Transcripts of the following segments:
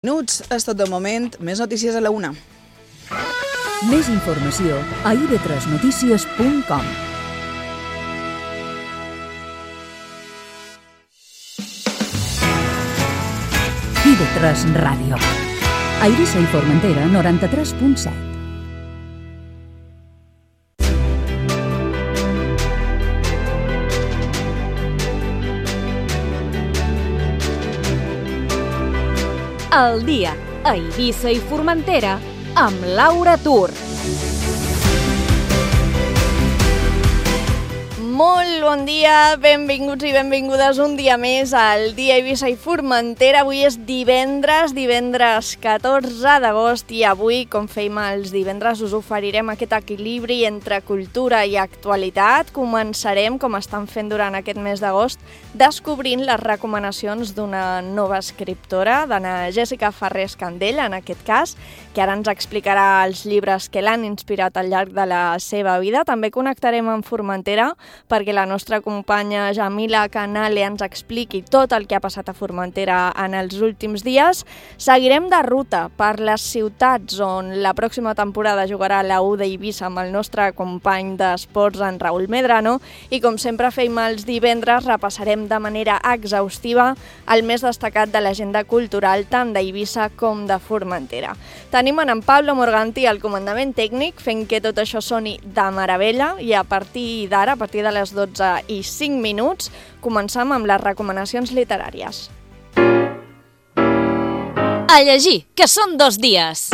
Minuts és tot de moment, més notícies a la una. Més informació a ib3notícies.com. IB3 Ràdio. A Eivissa i Formentera, 93.7. El dia a Eivissa i Formentera amb Laura Tur. Molt bon dia, benvinguts i benvingudes un dia més al dia Eivissa i Formentera. Avui és divendres 14 d'agost i avui, com fèiem els divendres, us oferirem aquest equilibri entre cultura i actualitat. Començarem, com estan fent durant aquest mes d'agost, descobrint les recomanacions d'una nova escriptora, d'Anna Jessica Farrés Candell, en aquest cas, que ara ens explicarà els llibres que l'han inspirat al llarg de la seva vida. També connectarem amb Formentera perquè la nostra companya Jamila Canale ens expliqui tot el que ha passat a Formentera en els últims dies. Seguirem de ruta per les ciutats on la pròxima temporada jugarà la U d'Eivissa amb el nostre company d'esports, en Raül Medrano, i com sempre fem els divendres, repassarem de manera exhaustiva el més destacat de l'agenda cultural tant d'Eivissa com de Formentera. Tenim en Pablo Morganti al comandament tècnic fent que tot això soni de meravella i a partir d'ara, a partir de les 12:05, començam amb les recomanacions literàries. A llegir, que són 2 dies.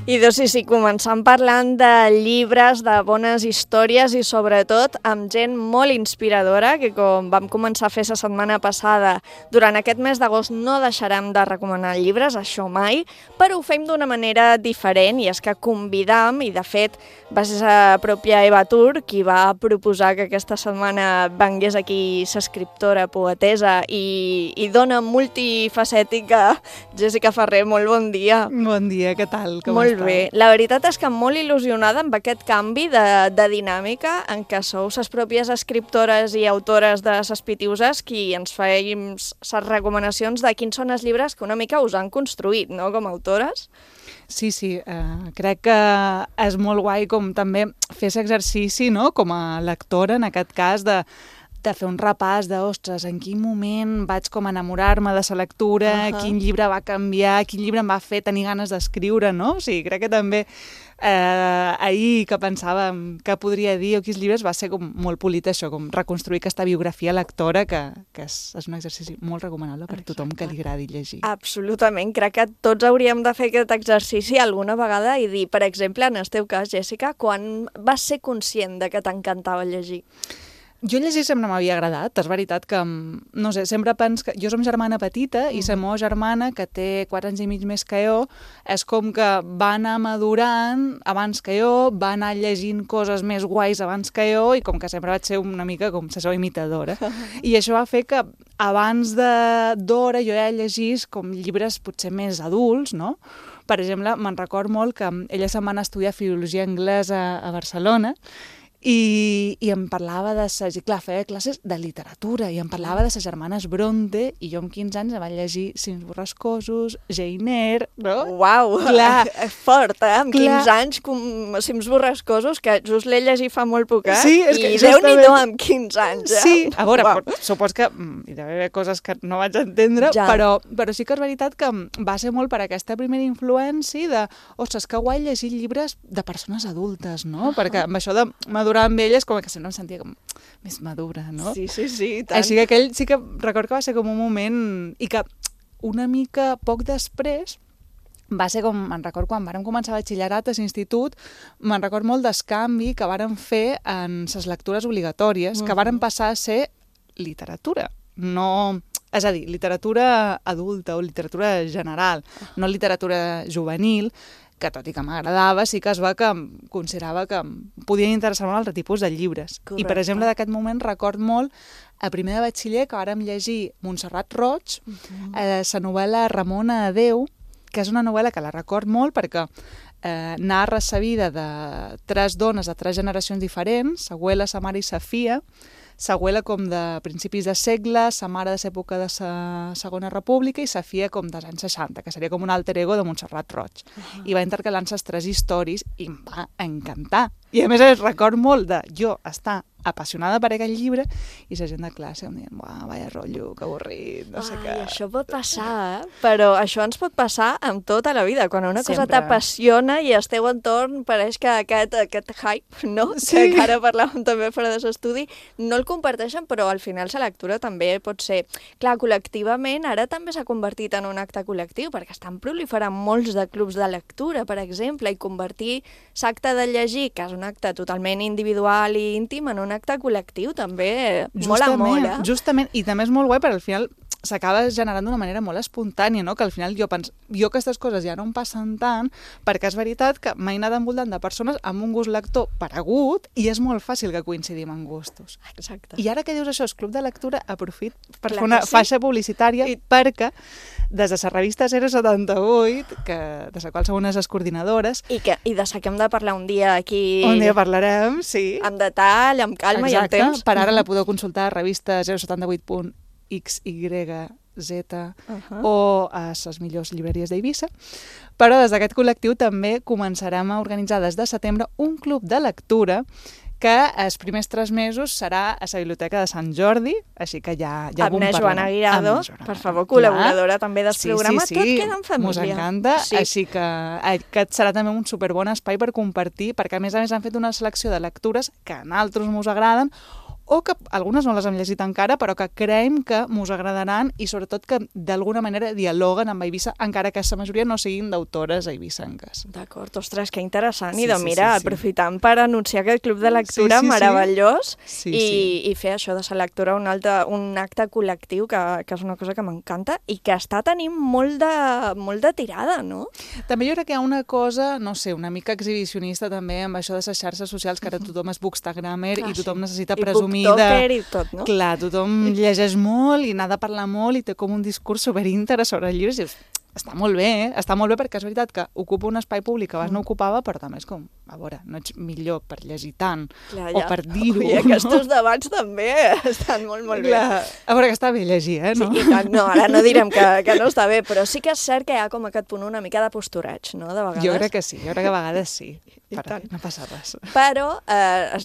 I sí, començant parlant de llibres, de bones històries i sobretot amb gent molt inspiradora que, com vam començar a fer la setmana passada, durant aquest mes d'agost no deixarem de recomanar llibres, això mai, però ho fem d'una manera diferent i és que convidam, i de fet va ser la pròpia Eva Tur qui va proposar que aquesta setmana vengués aquí l'escriptora, poetesa i dona multifacètica Jessica Farré. Molt bon dia. Bon dia, què tal? Com molt bé. La veritat és que molt il·lusionada amb aquest canvi de dinàmica en què sou les pròpies escriptores i autores de les Pitiuses qui ens feim les recomanacions de quins són els llibres que una mica us han construït, no?, com a autores. Sí, crec que és molt guai com també fer aquest exercici, no?, com a lectora, en aquest cas, de fer un repàs de, ostres, en quin moment vaig com enamorar-me de la lectura, quin llibre va canviar, quin llibre em va fer tenir ganes d'escriure, no? O sigui, crec que també ahir que pensàvem què podria dir o quins llibres va ser com molt polit això, com reconstruir aquesta biografia lectora que és un exercici molt recomanable per tothom que li agradi llegir. Absolutament, crec que tots hauríem de fer aquest exercici alguna vegada i dir, per exemple, en el teu cas, Jessica, quan vas ser conscient de que t'encantava llegir? Jo llegir sempre m'havia agradat, és veritat que, no sé, sempre penso que jo som germana petita i la meva germana, que té 4 anys i mig més que jo, és com que va anar madurant abans que jo, va anar llegint coses més guais abans que jo i com que sempre vaig ser una mica com la seva imitadora. I això va fer que abans d'hora jo ja llegís com llibres potser més adults, no? Per exemple, me'n record molt que ella se'n va anar a estudiar filologia anglesa a Barcelona i em parlava i clar, feia classes de literatura i em parlava de les germanes Bronte i jo amb 15 anys em vaig llegir Cims borrascosos, Jane Eyre, no? Uau, fort, Amb 15 anys, Cims borrascosos, que just l'he llegit fa molt poc, Sí, és que Déu-n'hi-do amb 15 anys, Sí, a veure, supos que hi deu haver coses que no vaig entendre, però sí que és veritat que va ser molt per aquesta primera influència de, ostres, que guai llegir llibres de persones adultes, no? Perquè amb això de madurar amb elles com que sempre em sentia com més madura, no? Sí, tant. Així que aquell sí que record que va ser com un moment i que una mica poc després va ser com, me'n record quan vàrem començar batxillerat a l'institut, me'n record molt del canvi que vàrem fer en les lectures obligatòries, que vàrem passar a ser literatura, no... És a dir, literatura adulta o literatura general, no literatura juvenil, que tot i que m'agradava, sí que es va que considerava que podien interessar-me un altre tipus de llibres. Correcte. I, per exemple, d'aquest moment record molt a primer de batxiller que vàrem llegir Montserrat Roig, la novel·la Ramona Adeu, que és una novel·la que la record molt perquè narra la vida de 3 dones de 3 generacions diferents, sa abuela, sa mare i sa filla, sa abuela com de principis de segle, sa mare de l'època de la Segona República i sa filla com dels anys 60, que seria com un alter ego de Montserrat Roig. I va intercalant les 3 històries i em va encantar. I a més record molt de jo estar apassionada per aquest llibre i la gent de classe em deien, vaya rotllo, que avorrit, no sé què. Això pot passar, però això ens pot passar amb tota la vida. Quan una cosa Sempre. t'apassiona i al teu entorn pareix que aquest hype, no? Sí. Que ara parlàvem també fora de l'estudi, no el comparteixen, però al final la lectura també pot ser... Clar, col·lectivament ara també s'ha convertit en un acte col·lectiu, perquè estan proliferant molts de clubs de lectura, per exemple, i convertir l'acte de llegir, que és un acte totalment individual i íntim, en un acte col·lectiu també mola. Justament, i també és molt guai perquè al final s'acaba generant d'una manera molt espontània, no? Que al final jo aquestes coses ja no em passen tant, perquè és veritat que m'he anat envoltant de persones amb un gust lector paregut i és molt fàcil que coincidim en gustos. Exacte. I ara que dius això, el Club de Lectura, aprofit per Clar fer una que sí. faixa publicitària perquè des de la revista 078, de la qual sou unes coordinadores, I de la que hem de parlar un dia aquí... un dia parlarem, sí. Amb detall, amb calma i amb temps. Per ara la podeu consultar a revista 078.xyz o a les millors llibreries d'Eivissa. Però des d'aquest col·lectiu també començarem a organitzar des de setembre un club de lectura que els primers 3 mesos serà a la Biblioteca de Sant Jordi, així que ja amb na Joana Guirado, per favor, col·laboradora també del programa. Tot queda en família. Mos encanta, així que aquest serà també un superbon espai per compartir, perquè a més han fet una selecció de lectures que a nosaltres mos agraden, o que algunes no les hem llegit encara, però que creiem que mos agradaran i sobretot que d'alguna manera dialoguen amb Eivissa, encara que la majoria no siguin d'autores eivissenques. D'acord, ostres, que interessant. Sí, I doncs mira, aprofitant per anunciar aquest club de lectura meravellós i fer això de la lectura un acte col·lectiu, que és una cosa que m'encanta i que està tenint molt de tirada, no? També jo crec que hi ha una cosa, no sé, una mica exhibicionista també amb això de les xarxes socials, que ara tothom és bookstagrammer i tothom necessita presumir i tot, no? Clar, tothom llegeix molt i n'ha de parlar molt i té com un discurs superíntegre sobre els llibres i dius, està molt bé, està molt bé perquè és veritat que ocupa un espai públic que abans no ocupava, però també és com, a veure, no ets millor per llegir tant o per dir-ho. I aquests debats també estan molt bé. A veure, que està bé llegir, no? Sí, no, ara no direm que no està bé, però sí que és cert que hi ha com aquest punt una mica de postureig, no?, de vegades. Jo crec que sí, jo crec que a vegades sí. No passa res. Però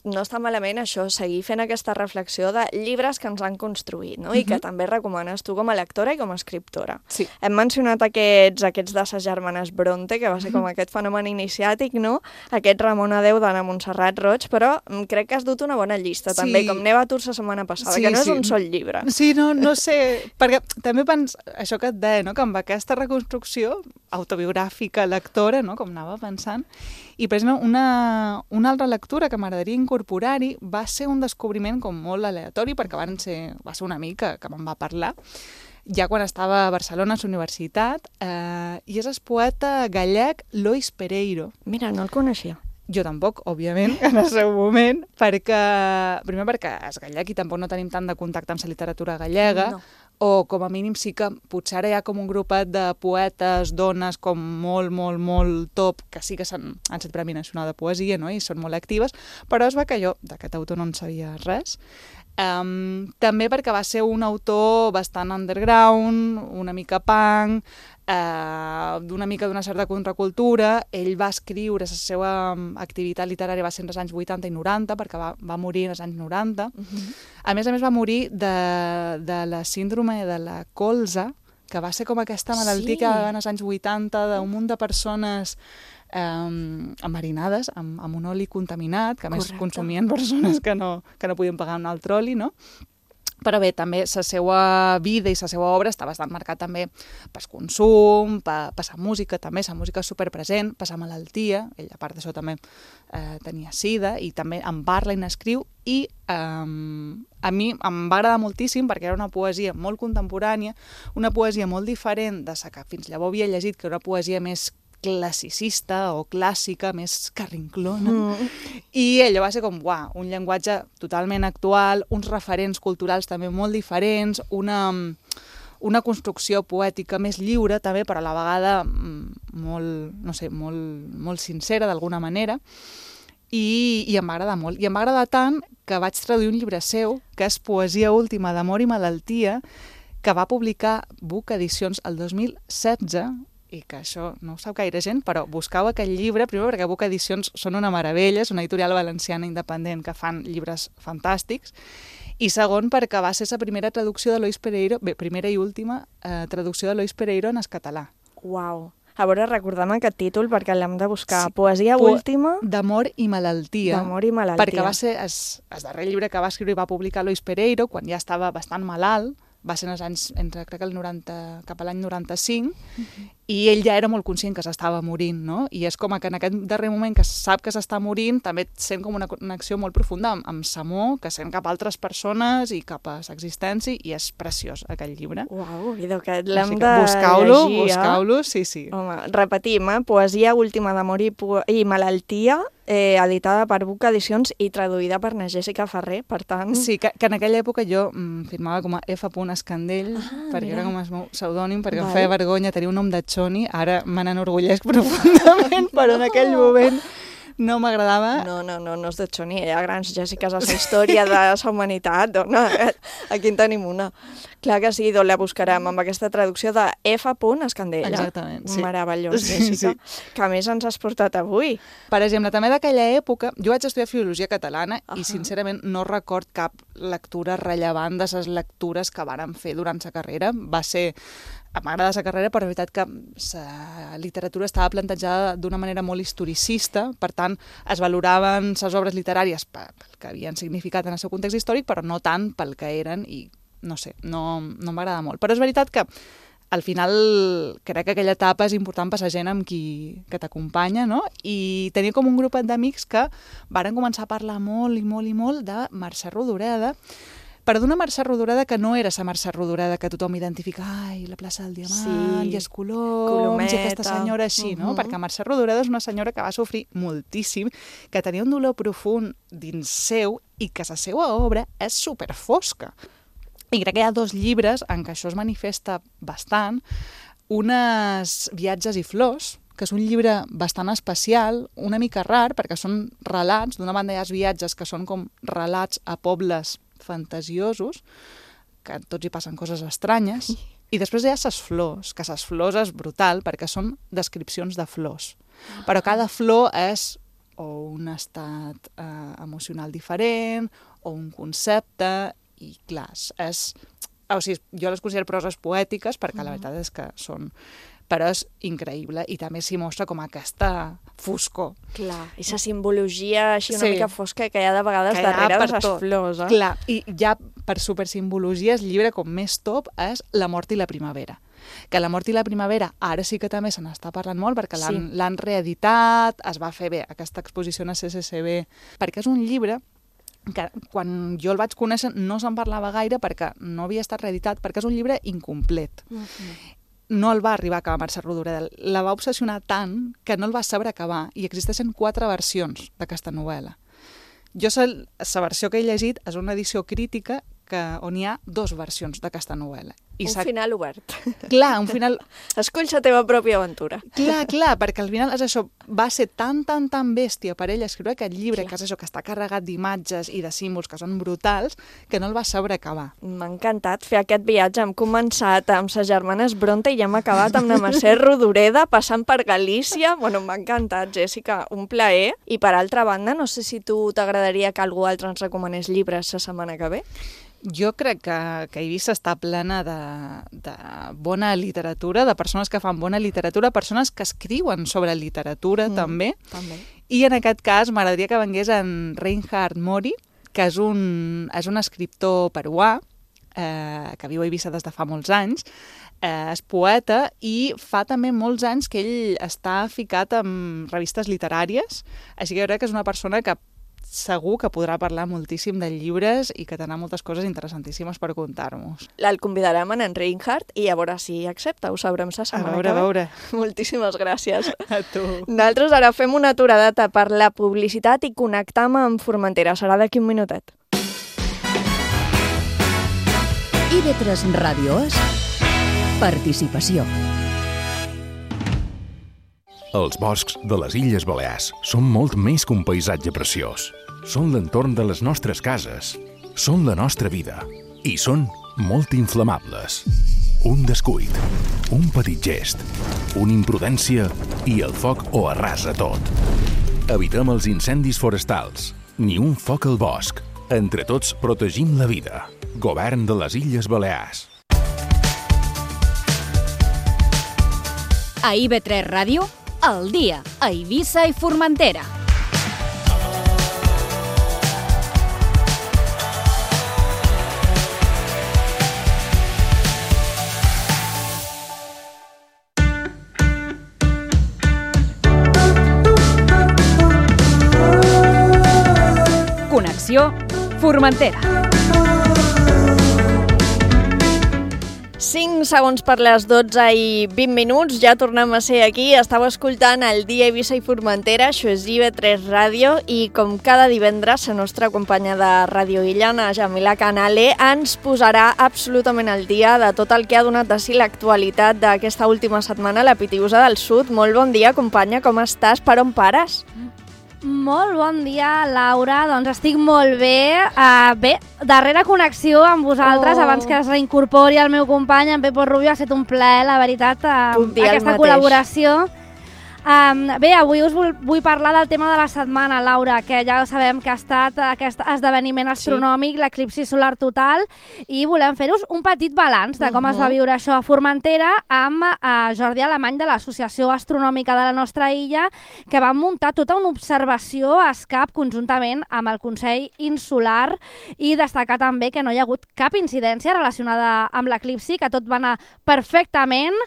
no està malament això, seguir fent aquesta reflexió de llibres que ens han construït, no? I que també recomanes tu com a lectora i com a escriptora. Sí. Hem mencionat aquests de les germanes Bronte, que va ser com aquest fenomen iniciàtic, no? Aquest Ramon Adeu d'Anna Montserrat Roig, però crec que has dut una bona llista, també, com Neva Tours la setmana passada, que no és un sol llibre. Sí, no sé, perquè també això que et deia, no? Que amb aquesta reconstrucció autobiogràfica lectora, no? Com anava pensant, i per exemple una altra lectura que m'agradaria incorporar-hi va ser un descobriment com molt aleatori, perquè va ser una amiga que me'n va parlar, ja quan estava a Barcelona a la universitat, i és el poeta gallec Lois Pereiro. Mira, no el coneixia. Jo tampoc, òbviament, en el seu moment, primer perquè és gallec i tampoc no tenim tant de contacte amb la literatura gallega, o com a mínim sí que potser ara hi ha com un grupet de poetes, dones com molt top, que sí que han set Premi Nacional de Poesia, no? I són molt actives, però es va que jo d'aquest autor no en sabia res. També perquè va ser un autor bastant underground, una mica punk, d'una certa contracultura. Ell va escriure, la seva activitat literària va ser entre els anys 80 i 90, perquè va morir als anys 90. A més va morir de la síndrome de la colza, que va ser com aquesta malaltia que va haver als anys 80 d'un munt de persones enverinades amb un oli contaminat, que a més consumien persones que no podien pagar un altre oli, no? Però bé, també la seva vida i la seva obra està bastant marcat també per consum, per la música, també la música és superpresent, per la malaltia, ell a part d'això també tenia sida i també en parla i n'escriu i a mi em va agradar moltíssim perquè era una poesia molt contemporània, una poesia molt diferent de la que fins llavors havia llegit, que era una poesia més classicista o clàssica, més carrinclona. I allò va ser com, un llenguatge totalment actual, uns referents culturals també molt diferents, una construcció poètica més lliure també, però a la vegada molt, no sé, molt sincera d'alguna manera, i em va agradar molt. I em va agradar tant que vaig traduir un llibre seu, que és Poesia última d'amor i malaltia, que va publicar Buc Edicions el 2016, i que això no ho sap gaire gent, però buscau aquell llibre, primer perquè Buc Edicions són una meravella, és una editorial valenciana independent que fan llibres fantàstics, i segon perquè va ser la primera traducció de Lois Pereiro, primera i última traducció de Lois Pereiro en català. Uau! A veure, recordem aquest títol perquè l'hem de buscar. Sí. Poesia última... D'amor i malaltia. D'amor i malaltia. Perquè va ser el darrer llibre que va escriure i va publicar Lois Pereiro, quan ja estava bastant malalt, va ser en els anys, crec que cap a l'any 95, i ell ja era molt conscient que s'estava morint, no? I és com que en aquest darrer moment que sap que s'està morint, també sent com una connexió molt profunda amb Samó, que sent cap a altres persones i cap a l'existència, i és preciós, aquell llibre. Uau, idò, que l'hem de llegir, Buscau-lo, sí, sí. Home, repetim, Poesia última d'amor i malaltia, editada per Buc Edicions i traduïda per na Jessica Ferrer, per tant... Sí, que en aquella època jo firmava com a F. Escandell, perquè era com el meu pseudònim, perquè em feia vergonya tenir un nom de Choni, ara me n'enorgullesc profundament, però en aquell moment no m'agradava. No és de Choni, hi ha grans Jèssiques a la història de la humanitat, dona, aquí en tenim una. Clar que sí, la buscarem amb aquesta traducció de F. Escandella. Exactament, sí. Meravellós, Jèssica, que a més ens has portat avui. Per exemple, també d'aquella època, jo vaig estudiar Filologia Catalana i sincerament no record cap lectura rellevant de les lectures que vàrem fer durant la carrera. M'agrada la carrera, però la veritat que la literatura estava plantejada d'una manera molt historicista, per tant, es valoraven les obres literàries pel que havien significat en el seu context històric, però no tant pel que eren, i no sé, no m'agrada molt. Però és veritat que al final crec que aquella etapa és important per la gent amb que t'acompanya, no? I tenia com un grupet d'amics que varen començar a parlar molt i molt de Mercè Rodoreda, però d'una Mercè Rodoreda que no era la Mercè Rodoreda que tothom identifica, ai, la plaça del Diamant, i els coloms, i aquesta senyora així, no? Perquè Mercè Rodoreda és una senyora que va sofrir moltíssim, que tenia un dolor profund dins seu i que la seva obra és superfosca. I crec que hi ha 2 llibres en què això es manifesta bastant. Un és Viatges i flors, que és un llibre bastant especial, una mica rar, perquè són relats. D'una banda hi ha els viatges, que són com relats a pobles fantasiosos, que tots hi passen coses estranyes, i després hi ha les flors, que les flors és brutal, perquè són descripcions de flors. Però cada flor és o un estat emocional diferent, o un concepte, i clar, jo les considero proses poètiques, perquè la veritat és que són... Però és increïble, i també s'hi mostra com aquesta foscor. Clar, i la simbologia així una mica fosca que hi ha de vegades darrere de les flors. Clar, i ja per supersimbologia el llibre com més top és La mort i la primavera. Que La mort i la primavera ara sí que també se n'està parlant molt, perquè l'han reeditat, es va fer bé aquesta exposició a CCCB, perquè és un llibre que quan jo el vaig conèixer no se'n parlava gaire perquè no havia estat reeditat, perquè és un llibre incomplet. No el va arribar a acabar Mercè Rodoreda. La va obsessionar tant que no el va saber acabar, i existeixen 4 versions d'aquesta novel·la. Jo la versió que he llegit és una edició crítica on hi ha 2 versions d'aquesta novel·la. Un final obert. Clar, un final... Escolls la teva pròpia aventura. Clar, perquè al final és això, va ser tan bèstia per ell escriure aquest llibre, que és això, que està carregat d'imatges i de símbols que són brutals, que no el va saber acabar. M'ha encantat fer aquest viatge. Hem començat amb ses germanes Bronte i hem acabat amb la Mercè Rodoreda, passant per Galícia. Bueno, m'ha encantat, Jèssica, un plaer. I per altra banda, no sé si tu t'agradaria que algú altre ens recomanés llibres la setmana que ve. Jo crec que Eivissa està plena de bona literatura, de persones que fan bona literatura, persones que escriuen sobre literatura també. I en aquest cas m'agradaria que vengués en Reinhard Mori, que és un escriptor peruà, que viu a Eivissa des de fa molts anys, és poeta i fa també molts anys que ell està ficat en revistes literàries, així que jo crec que és una persona que segur que podrà parlar moltíssim de llibres i que tindrà moltes coses interessantíssimes per contar-nos. El convidarem en Reinhard i a veure si accepta, ho sabrem la setmana que ve. A veure. Moltíssimes gràcies. A tu. Nosaltres ara fem una aturadeta per la publicitat i connectam amb Formentera. Serà d'aquí un minutet. IB3 Ràdio és Participació. Els boscs de les Illes Balears són molt més que un paisatge preciós. Són l'entorn de les nostres cases, són la nostra vida i són molt inflamables. Un descuit, un petit gest, una imprudència i el foc ho arrasa tot. Evitem els incendis forestals, ni un foc al bosc. Entre tots protegim la vida. Govern de les Illes Balears. A IB3 Ràdio, al dia, a Eivissa i Formentera. Connexió Formentera. 5 segons per les 12 i 20 minuts, ja tornem a ser aquí. Estàu escoltant el Dia Eivissa i Formentera, això és IB3 Ràdio, i com cada divendres, la nostra companya de Ràdio Illana, Jamila Canale, ens posarà absolutament al dia de tot el que ha donat de si l'actualitat d'aquesta última setmana a la Pitiusa del Sud. Molt bon dia, companya, com estàs? Per on pares? Molt bon dia, Laura. Doncs estic molt bé. Bé, darrera connexió amb vosaltres, abans que es reincorpori el meu company, en Pepo Rubio. Ha estat un plaer, la veritat, aquesta col·laboració. Bé, avui us vull parlar del tema de la setmana, Laura, que ja sabem que ha estat aquest esdeveniment astronòmic, l'eclipsi solar total, i volem fer-vos un petit balanç de com es va viure això a Formentera amb Jordi Alemany de l'Associació Astronòmica de la nostra illa, que van muntar tota una observació a ESCAP conjuntament amb el Consell Insular, i destacar també que no hi ha hagut cap incidència relacionada amb l'eclipsi, que tot va anar perfectament,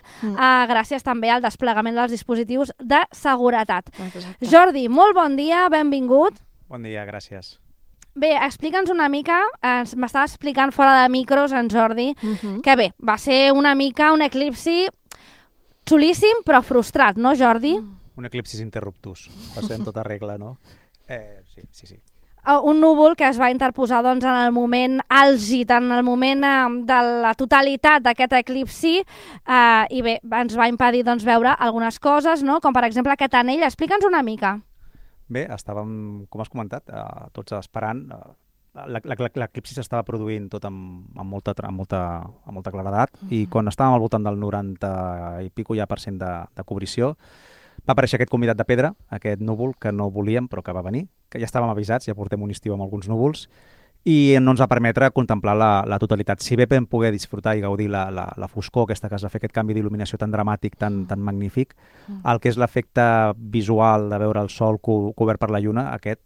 gràcies també al desplegament dels dispositius de seguretat. Exacte. Jordi, molt bon dia, benvingut. Bon dia, gràcies. Bé, explica'ns una mica, m'estava explicant fora de micros en Jordi, que bé, va ser una mica un eclipsi xulíssim però frustrat, no, Jordi? Un eclipsi interruptus, va ser en tota regla, no? Sí. Un núvol que es va interposar doncs, en el moment àlgid, en el moment de la totalitat d'aquest eclipsi, i bé, ens va impedir doncs, veure algunes coses, no? Com per exemple aquest anell. Explica'ns una mica. Bé, estàvem, com has comentat, tots esperant. L'eclipsi s'estava produint tot amb molta claredat, i quan estàvem al voltant del 90 i pico ja % de cobrició, va aparèixer aquest convidat de pedra, aquest núvol que no volíem però que va venir, que ja estàvem avisats, ja portem un estiu amb alguns núvols, i no ens va permetre contemplar la totalitat. Si bé vam poder disfrutar i gaudir la foscor aquesta que es va fer, aquest canvi d'il·luminació tan dramàtic, tan magnífic, el que és l'efecte visual de veure el sol cobert per la lluna, aquest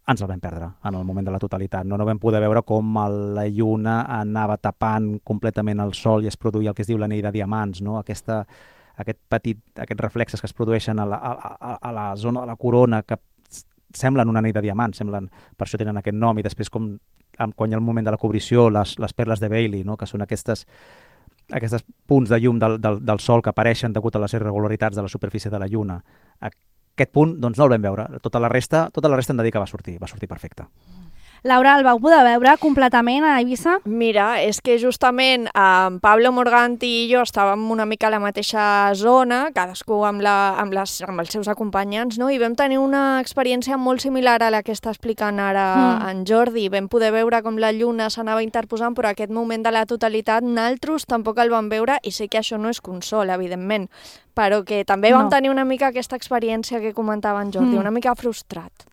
ens el vam perdre en el moment de la totalitat. No vam poder veure com la lluna anava tapant completament el sol i es produïa el que es diu l'anell de diamants, no? Aquests reflexes que es produeixen a la zona de la corona, que semblen un anell de diamants, per això tenen aquest nom, i després quan hi ha el moment de la cobrició, les perles de Bailey, no? Que són aquests punts de llum del sol que apareixen degut a les irregularitats de la superfície de la lluna. Aquest punt doncs, no el vam veure. Tota la resta hem de dir que va sortir perfecte. Laura, el vau poder veure completament a Eivissa? Mira, és que justament Pablo Morganti i jo estàvem una mica a la mateixa zona, cadascú amb els seus acompanyants, no? I vam tenir una experiència molt similar a la que està explicant ara en Jordi. Vam poder veure com la lluna s'anava interposant, però aquest moment de la totalitat naltros tampoc el vam veure, i sé que això no és consol, evidentment, però que també vam tenir una mica aquesta experiència que comentava en Jordi, una mica frustrat.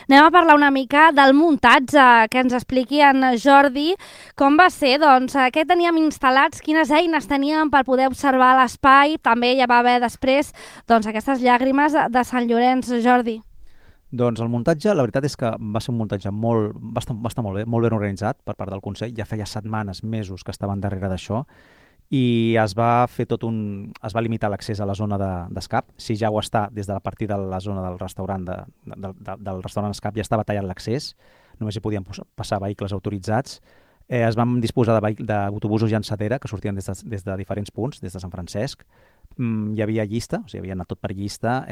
Anem a parlar una mica del muntatge, que ens expliqui en Jordi com va ser, doncs, què teníem instal·lats, quines eines teníem per poder observar l'espai. També hi va haver després doncs, aquestes llàgrimes de Sant Llorenç, Jordi. Doncs el muntatge, la veritat és que va ser un muntatge va estar molt bé, molt ben organitzat per part del Consell. Ja feia setmanes, mesos que estaven darrere d'això, i es va limitar l'accés a la zona d'escap. Si ja ho està, des de la partir de la zona del restaurant del restaurant escap ja estava tallat l'accés, només hi podien passar vehicles autoritzats. Es van disposar d'autobusos llançadera que sortien des de diferents punts, des de Sant Francesc. Hi havia llista, o sigui, havia anat tot per llista.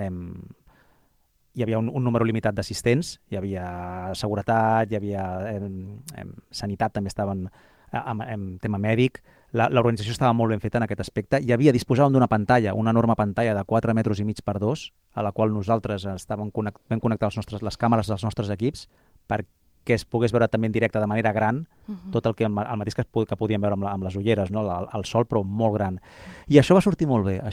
Hi havia un número limitat d'assistents, hi havia seguretat, hi havia sanitat, també estaven en tema mèdic. L'organització estava molt ben feta en aquest aspecte. Disposàvem d'una pantalla, una enorme pantalla de 4,5 metres per 2, a la qual nosaltres vam connectar les càmeres dels nostres equips perquè es pogués veure també en directe de manera gran tot el mateix que podíem veure amb les ulleres, no? El sol, però molt gran. I això va sortir molt bé. La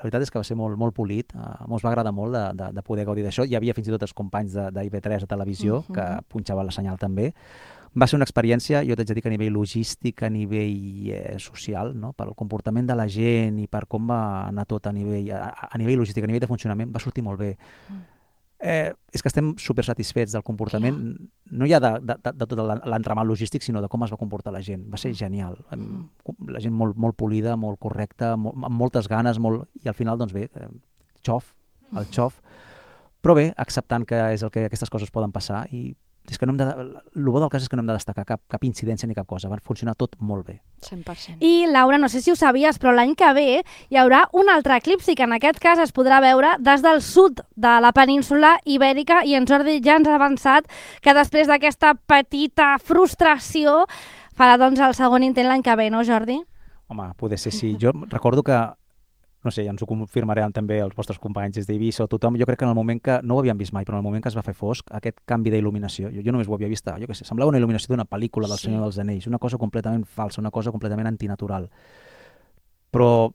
veritat és que va ser molt, molt polit. Ens va agradar molt de poder gaudir d'això. Hi havia fins i tot els companys d'IV3 a televisió que punxaven la senyal també. Va ser una experiència, jo t'haig de dir que a nivell logístic, a nivell social, no? Pel comportament de la gent i per com va anar tot a nivell logístic, a nivell de funcionament, va sortir molt bé. És que estem super satisfets del comportament, no ja de tot l'entramat logístic, sinó de com es va comportar la gent. Va ser genial. La gent molt polida, molt correcta, amb moltes ganes, i al final, doncs bé, el xof. Però bé, acceptant que és el que aquestes coses poden passar i és que el bo del cas és que no hem de destacar cap incidència ni cap cosa. Va funcionar tot molt bé. 100%. I, Laura, no sé si ho sabies, però l'any que ve hi haurà un altre eclipsi que en aquest cas es podrà veure des del sud de la península ibèrica i en Jordi ja ens ha avançat que després d'aquesta petita frustració farà doncs el segon intent l'any que ve, no, Jordi? Home, poder ser sí. Jo recordo que no sé, ja ens ho confirmaran també els vostres companys des d'Eivissa o tothom, jo crec que en el moment que, no ho havíem vist mai, però en el moment que es va fer fosc, aquest canvi d'il·luminació, jo només ho havia vist, jo què sé, semblava una il·luminació d'una pel·lícula del Senyor dels Anells, una cosa completament falsa, una cosa completament antinatural. Però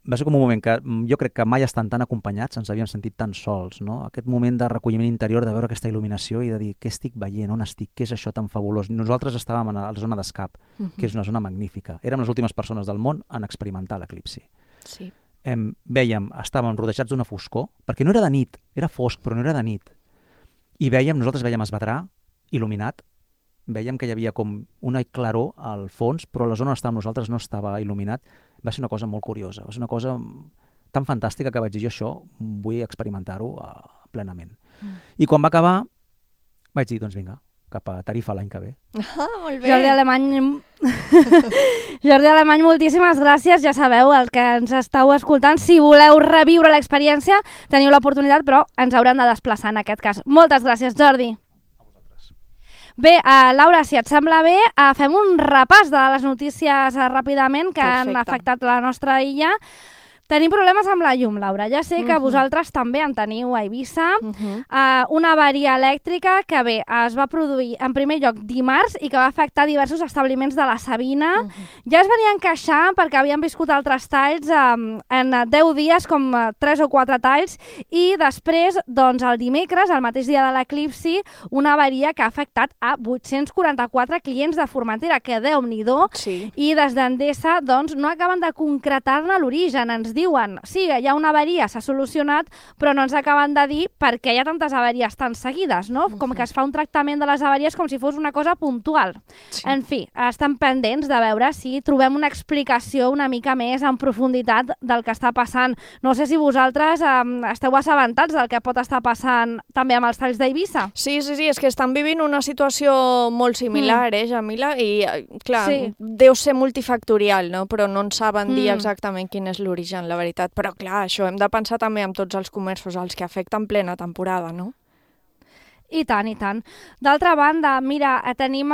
va ser com un moment que jo crec que mai estan tan acompanyats, ens havíem sentit tan sols, no? Aquest moment de recolliment interior, de veure aquesta il·luminació i de dir, què estic veient, on estic, què és això tan fabulós? Nosaltres estàvem a la zona d'escap, que és una zona magnífica. Érem les últimes persones del món en experimentar l'eclipsi. Sí. Estàvem rodejats d'una foscor, perquè no era de nit, era fosc, però no era de nit. I nosaltres veiem Esvedrà, il·luminat, veiem que hi havia com una claror al fons, però la zona on estàvem nosaltres no estava il·luminat. Va ser una cosa molt curiosa, va ser una cosa tan fantàstica que vaig dir, jo això vull experimentar-ho plenament. I quan va acabar, vaig dir, doncs vinga, cap a Tarifa l'any que ve. Molt bé. Jordi Alemany, moltíssimes gràcies. Ja sabeu, el que ens estàu escoltant, si voleu reviure l'experiència, teniu l'oportunitat, però ens haurem de desplaçar en aquest cas. Moltes gràcies, Jordi. A vosaltres. Bé, Laura, si et sembla bé, fem un repàs de les notícies ràpidament que han afectat la nostra illa. Tenim problemes amb la llum, Laura. Ja sé que vosaltres també en teniu a Eivissa. Una avaria elèctrica que bé, es va produir en primer lloc dimarts i que va afectar diversos establiments de la Sabina. Ja es venien queixant perquè havien viscut altres talls en 10 dies, com 3 o 4 talls, i després, doncs, el dimecres, el mateix dia de l'eclipsi, una avaria que ha afectat a 844 clients de Formentera, que Déu-n'hi-do, i des d'Endesa, doncs, no acaben de concretar-ne l'origen. Ens diuen, sí, hi ha una avaria, s'ha solucionat, però no ens acaben de dir per què hi ha tantes avaries tan seguides, no? Com que es fa un tractament de les avaries com si fos una cosa puntual. Sí. En fi, estan pendents de veure si trobem una explicació una mica més en profunditat del que està passant. No sé si vosaltres esteu assabentats del que pot estar passant també amb els talls d'Eivissa. Sí, és que estan vivint una situació molt similar, Jamila? I, clar, deu ser multifactorial, no? Però no ens saben dir exactament quin és l'origen, la veritat. Però clar, això hem de pensar també en tots els comerços als que afecta en plena temporada, no? I tant, i tant. D'altra banda, mira, tenim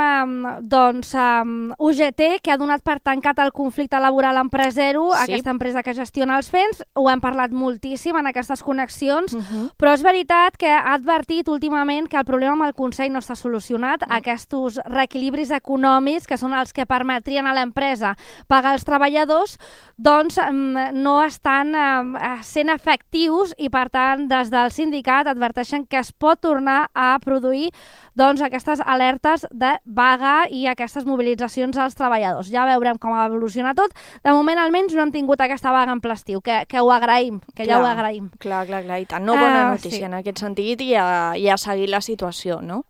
UGT, que ha donat per tancat el conflicte laboral amb Presero, aquesta empresa que gestiona els FENS. Ho hem parlat moltíssim en aquestes connexions, però és veritat que ha advertit últimament que el problema amb el Consell no està solucionat. Aquests reequilibris econòmics, que són els que permetrien a l'empresa pagar els treballadors, doncs no estan sent efectius i, per tant, des del sindicat adverteixen que es pot tornar a produir aquestes alertes de vaga i aquestes mobilitzacions als treballadors. Ja veurem com ha evolucionat tot. De moment, almenys, no hem tingut aquesta vaga en ple estiu, que ho agraïm, que ja ho agraïm. Clar, i tant. No, bona notícia en aquest sentit i a seguir la situació, no?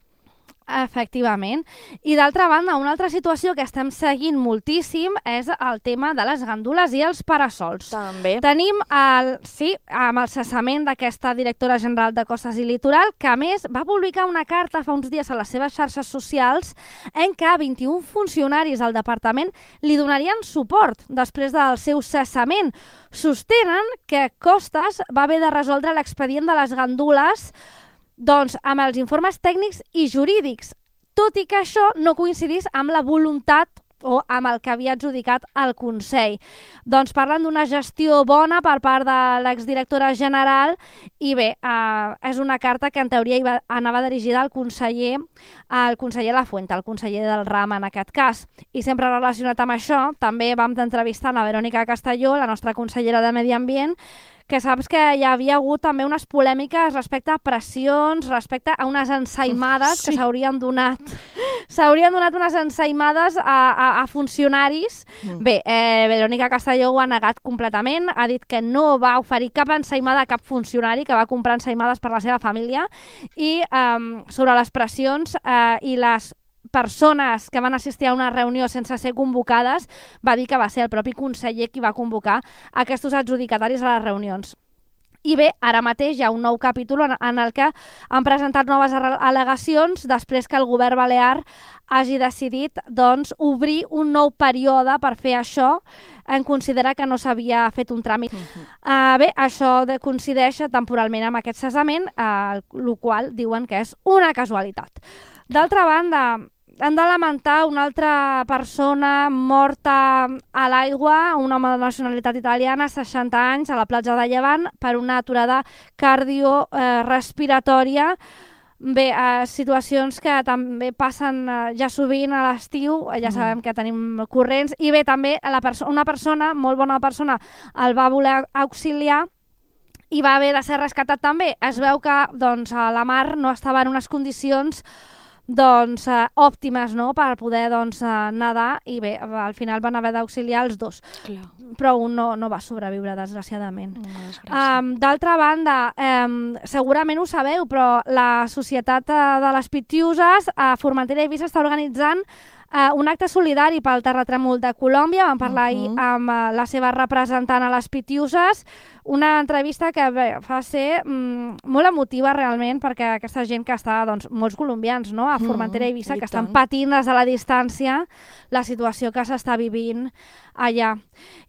Efectivament. I d'altra banda, una altra situació que estem seguint moltíssim és el tema de les gandules i els parasols. També. Tenim amb el cessament d'aquesta directora general de Costes i Litoral, que a més va publicar una carta fa uns dies a les seves xarxes socials en què 21 funcionaris del departament li donarien suport després del seu cessament. Sostenen que Costes va haver de resoldre l'expedient de les gandules amb els informes tècnics i jurídics, tot i que això no coincidís amb la voluntat o amb el que havia adjudicat el Consell. Doncs parlen d'una gestió bona per part de l'exdirectora general i bé, és una carta que en teoria anava dirigida al conseller Lafuente, el conseller del RAM en aquest cas. I sempre relacionat amb això, també vam entrevistar la Verònica Castelló, la nostra consellera de Medi Ambient, que saps que hi havia hagut també unes polèmiques respecte a pressions, respecte a unes ensaïmades que s'haurien donat unes ensaïmades a funcionaris. Bé, Verònica Castelló ho ha negat completament, ha dit que no va oferir cap ensaïmada a cap funcionari, que va comprar ensaïmades per la seva família, i sobre les pressions i les persones que van assistir a una reunió sense ser convocades, va dir que va ser el propi conseller qui va convocar aquests adjudicataris a les reunions. I bé, ara mateix hi ha un nou capítol en el que han presentat noves al·legacions després que el govern balear hagi decidit obrir un nou període per fer això, en considerar que no s'havia fet un tràmit. Bé, això coincideix temporalment amb aquest cessament, el qual diuen que és una casualitat. D'altra banda, han de lamentar una altra persona morta a l'aigua, un home de nacionalitat italiana, 60 anys, a la platja de Llevant, per una aturada cardiorrespiratòria. Bé, situacions que també passen ja sovint a l'estiu, ja sabem que tenim corrents, i bé, també una persona, molt bona persona, el va voler auxiliar i va haver de ser rescatat també. Es veu que la mar no estava en unes condicions òptimes per poder nedar, i bé, al final van haver d'auxiliar els dos. Clar. Però un no va sobreviure, desgraciadament. D'altra banda, segurament ho sabeu, però la Societat de les Pitiuses a Formentera i Eivissa està organitzant un acte solidari pel terratrèmol de Colòmbia. Vam parlar ahir amb la seva representant a les Pitiuses, una entrevista que va ser molt emotiva realment, perquè aquesta gent que està, molts colombians a Formentera i Eivissa, que estan patint des de la distància la situació que s'està vivint allà.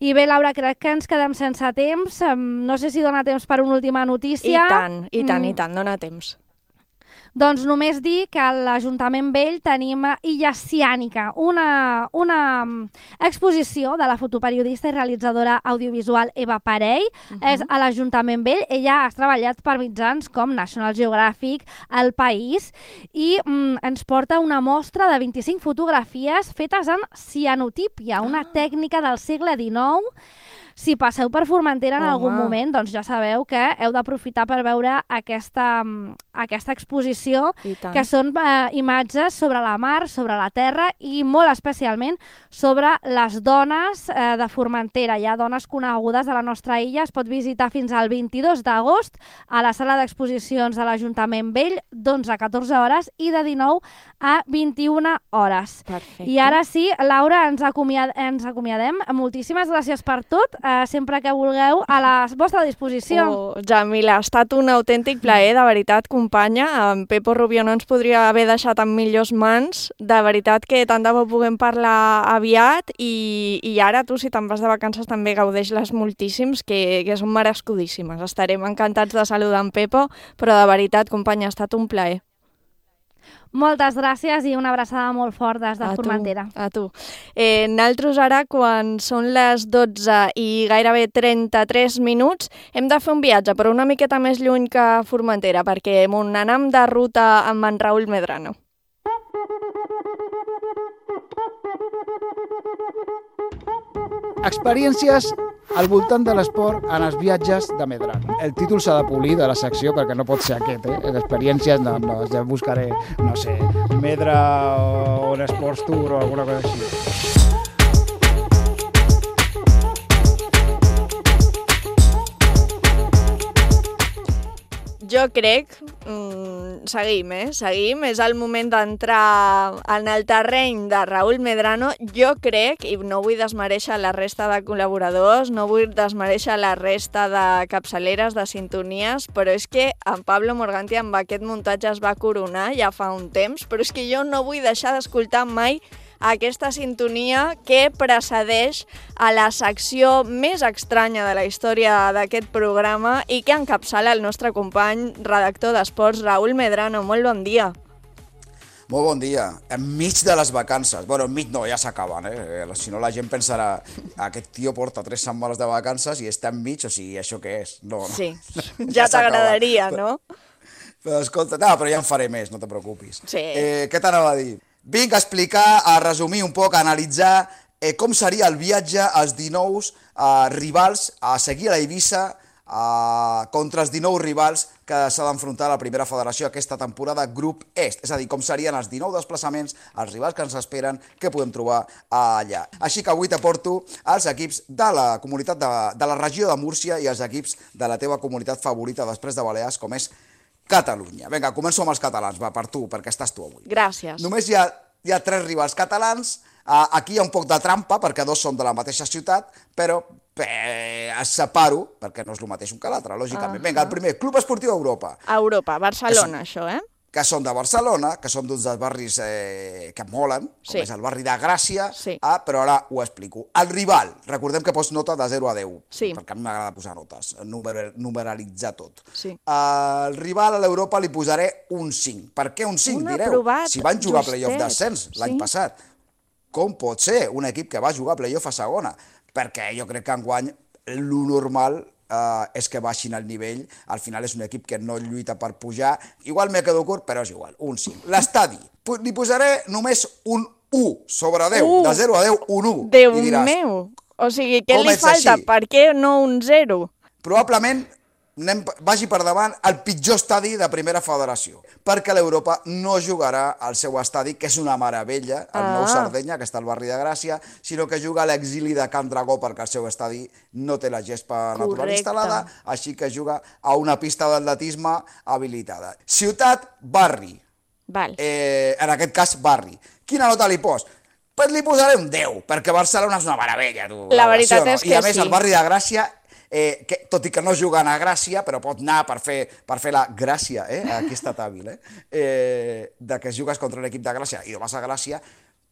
I bé, Laura, crec que ens quedem sense temps. No sé si dona temps per una última notícia. I tant, dona temps. Doncs només dir que a l'Ajuntament Vell tenim Illa Ciànica, una exposició de la fotoperiodista i realitzadora audiovisual Eva Parell. És a l'Ajuntament Vell. Ella ha treballat per mitjans com National Geographic, El País, i ens porta una mostra de 25 fotografies fetes en cianotípia, una tècnica del segle XIX. Si passeu per Formentera en algun moment, doncs ja sabeu que heu d'aprofitar per veure aquesta exposició, que són imatges sobre la mar, sobre la terra i molt especialment sobre les dones de Formentera. Hi ha dones conegudes de la nostra illa. Es pot visitar fins al 22 d'agost a la sala d'exposicions de l'Ajuntament Vell, d'11 a 14 hores i de 19 a 21 hores. Perfecte. I ara sí, Laura, ens acomiadem. Moltíssimes gràcies per tot. Sempre que vulgueu, a la vostra disposició. Jamila, ha estat un autèntic plaer, de veritat, companya. En Pepo Rubio no ens podria haver deixat en millors mans. De veritat que tant de bo puguem parlar aviat, i ara tu, si te'n vas de vacances, també gaudeix-les moltíssims, que són merescudíssimes. Estarem encantats de saludar en Pepo, però de veritat, companya, ha estat un plaer. Moltes gràcies i una abraçada molt fort des de Formentera. A tu. Nosaltres ara, quan són les 12 i gairebé 33 minuts, hem de fer un viatge, però una miqueta més lluny que Formentera, perquè anem de ruta amb en Raúl Medrano. Experiències al voltant de l'esport en els viatges de Medrano. El títol s'ha de polir de la secció perquè no pot ser aquest, Experiències, no, ja buscaré, no sé, Medra o un Sports Tour o alguna cosa així. Jo crec, seguim, és el moment d'entrar en el terreny de Raúl Medrano. Jo crec, i no vull desmereixer la resta de col·laboradors, no vull desmereixer la resta de capçaleres, de sintonies, però és que en Pablo Morganti amb aquest muntatge es va coronar ja fa un temps, però és que jo no vull deixar d'escoltar mai aquesta sintonia que precedeix a la secció més estranya de la història d'aquest programa i que encapçala el nostre company redactor d'esports, Raúl Medrano. Molt bon dia. Molt bon dia. Enmig de les vacances. Bueno, enmig no, ja s'acaben, Si no, la gent pensarà, aquest tio porta 3 setmanes de vacances i està enmig, o sigui, això què és? No, sí, ja t'agradaria, no? Però escolta, no, però ja en faré més, no te preocupis. Sí. Què t'anava a dir? Vinc a explicar, a resumir un poc, a analitzar com seria el viatge als 19 rivals a seguir a la Eivissa contra els 19 rivals que s'ha d'enfrontar a la primera federació aquesta temporada Grup Est. És a dir, com serien els 19 desplaçaments, els rivals que ens esperen, què podem trobar allà. Així que avui t'aporto els equips de la comunitat de la regió de Múrcia i els equips de la teva comunitat favorita després de Balears, com és Catalunya. Vinga, començo amb els catalans, va, per tu, perquè estàs tu avui. Gràcies. Només hi ha 3 rivals catalans. Aquí hi ha un poc de trampa, perquè 2 són de la mateixa ciutat, però es separo, perquè no és el mateix un que l'altre, lògicament. Vinga, el primer, Club Esportiu Europa. Europa, Barcelona, això, Que són de Barcelona, que són d'uns dels barris que molen, com és el barri de Gràcia, però ara ho explico. El rival, recordem que pots nota de 0 a 10, perquè a mi m'agrada posar notes, numeralitzar tot. El rival a l'Europa li posaré un 5. Per què un 5, direu? Si van jugar a playoff d'ascens l'any passat. Com pot ser un equip que va jugar a playoff a segona? Perquè jo crec que enguany lo normal és que baixin el nivell, al final és un equip que no lluita per pujar, igual me quedo curt, però és igual, un 5. L'estadi, li posaré només un 1 sobre 10, de 0 a 10, un 1. Déu meu, o sigui, què li falta? Per què no un 0? Probablement vagi per davant el pitjor estadi de primera federació, perquè l'Europa no jugarà al seu estadi, que és una meravella, el Nou Sardenya, que està al barri de Gràcia, sinó que juga a l'exili de Can Dragó, perquè el seu estadi no té la gespa natural instal·lada, així que juga a una pista d'atletisme habilitada. Ciutat, barri. En aquest cas, barri. Quina nota li pos? Pues li posaré un 10, perquè Barcelona és una meravella. La veritat és que sí. I a més, el barri de Gràcia, tot i que no juguen a Gràcia, però pot anar per fer la gràcia, aquí ha estat hàbil, de que jugues contra un equip de Gràcia i no vas a Gràcia,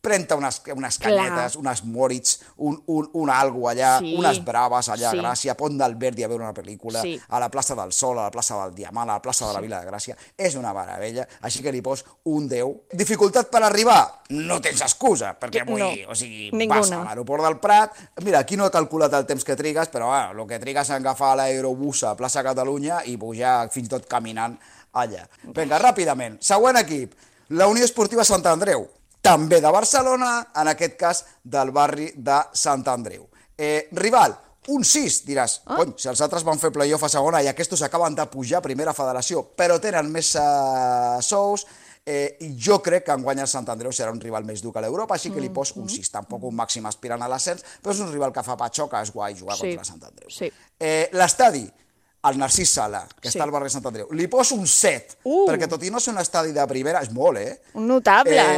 pren-te unes canyetes, unes Moritz, un algo allà, unes braves allà a Gràcia, Pont del Verdi a veure una pel·lícula, a la plaça del Sol, a la plaça del Diamant, a la plaça de la Vila de Gràcia, és una meravella, així que li pos un 10. Dificultat per arribar? No tens excusa, perquè vull dir, o sigui, vas a l'aeroport del Prat, mira, aquí no he calculat el temps que trigues, però el que trigues a agafar l'aerobús a plaça Catalunya i pujar fins i tot caminant allà. Vinga, ràpidament, següent equip, la Unió Esportiva Sant Andreu, també de Barcelona, en aquest cas del barri de Sant Andreu. Rival, un 6, diràs. Cony, si els altres van fer playoff a segona i aquests acaben de pujar a primera federació, però tenen més sous, i jo crec que enguany el Sant Andreu serà un rival més dur que l'Europa, així que li pos un 6, tampoc un màxim aspirant a l'ascens, però és un rival que fa patxoca, és guai jugar contra Sant Andreu. L'estadi, el Narcís Sala, que està al barri de Sant Andreu, li poso un 7, perquè tot i no ser un estadi de primera, és molt, Un notable,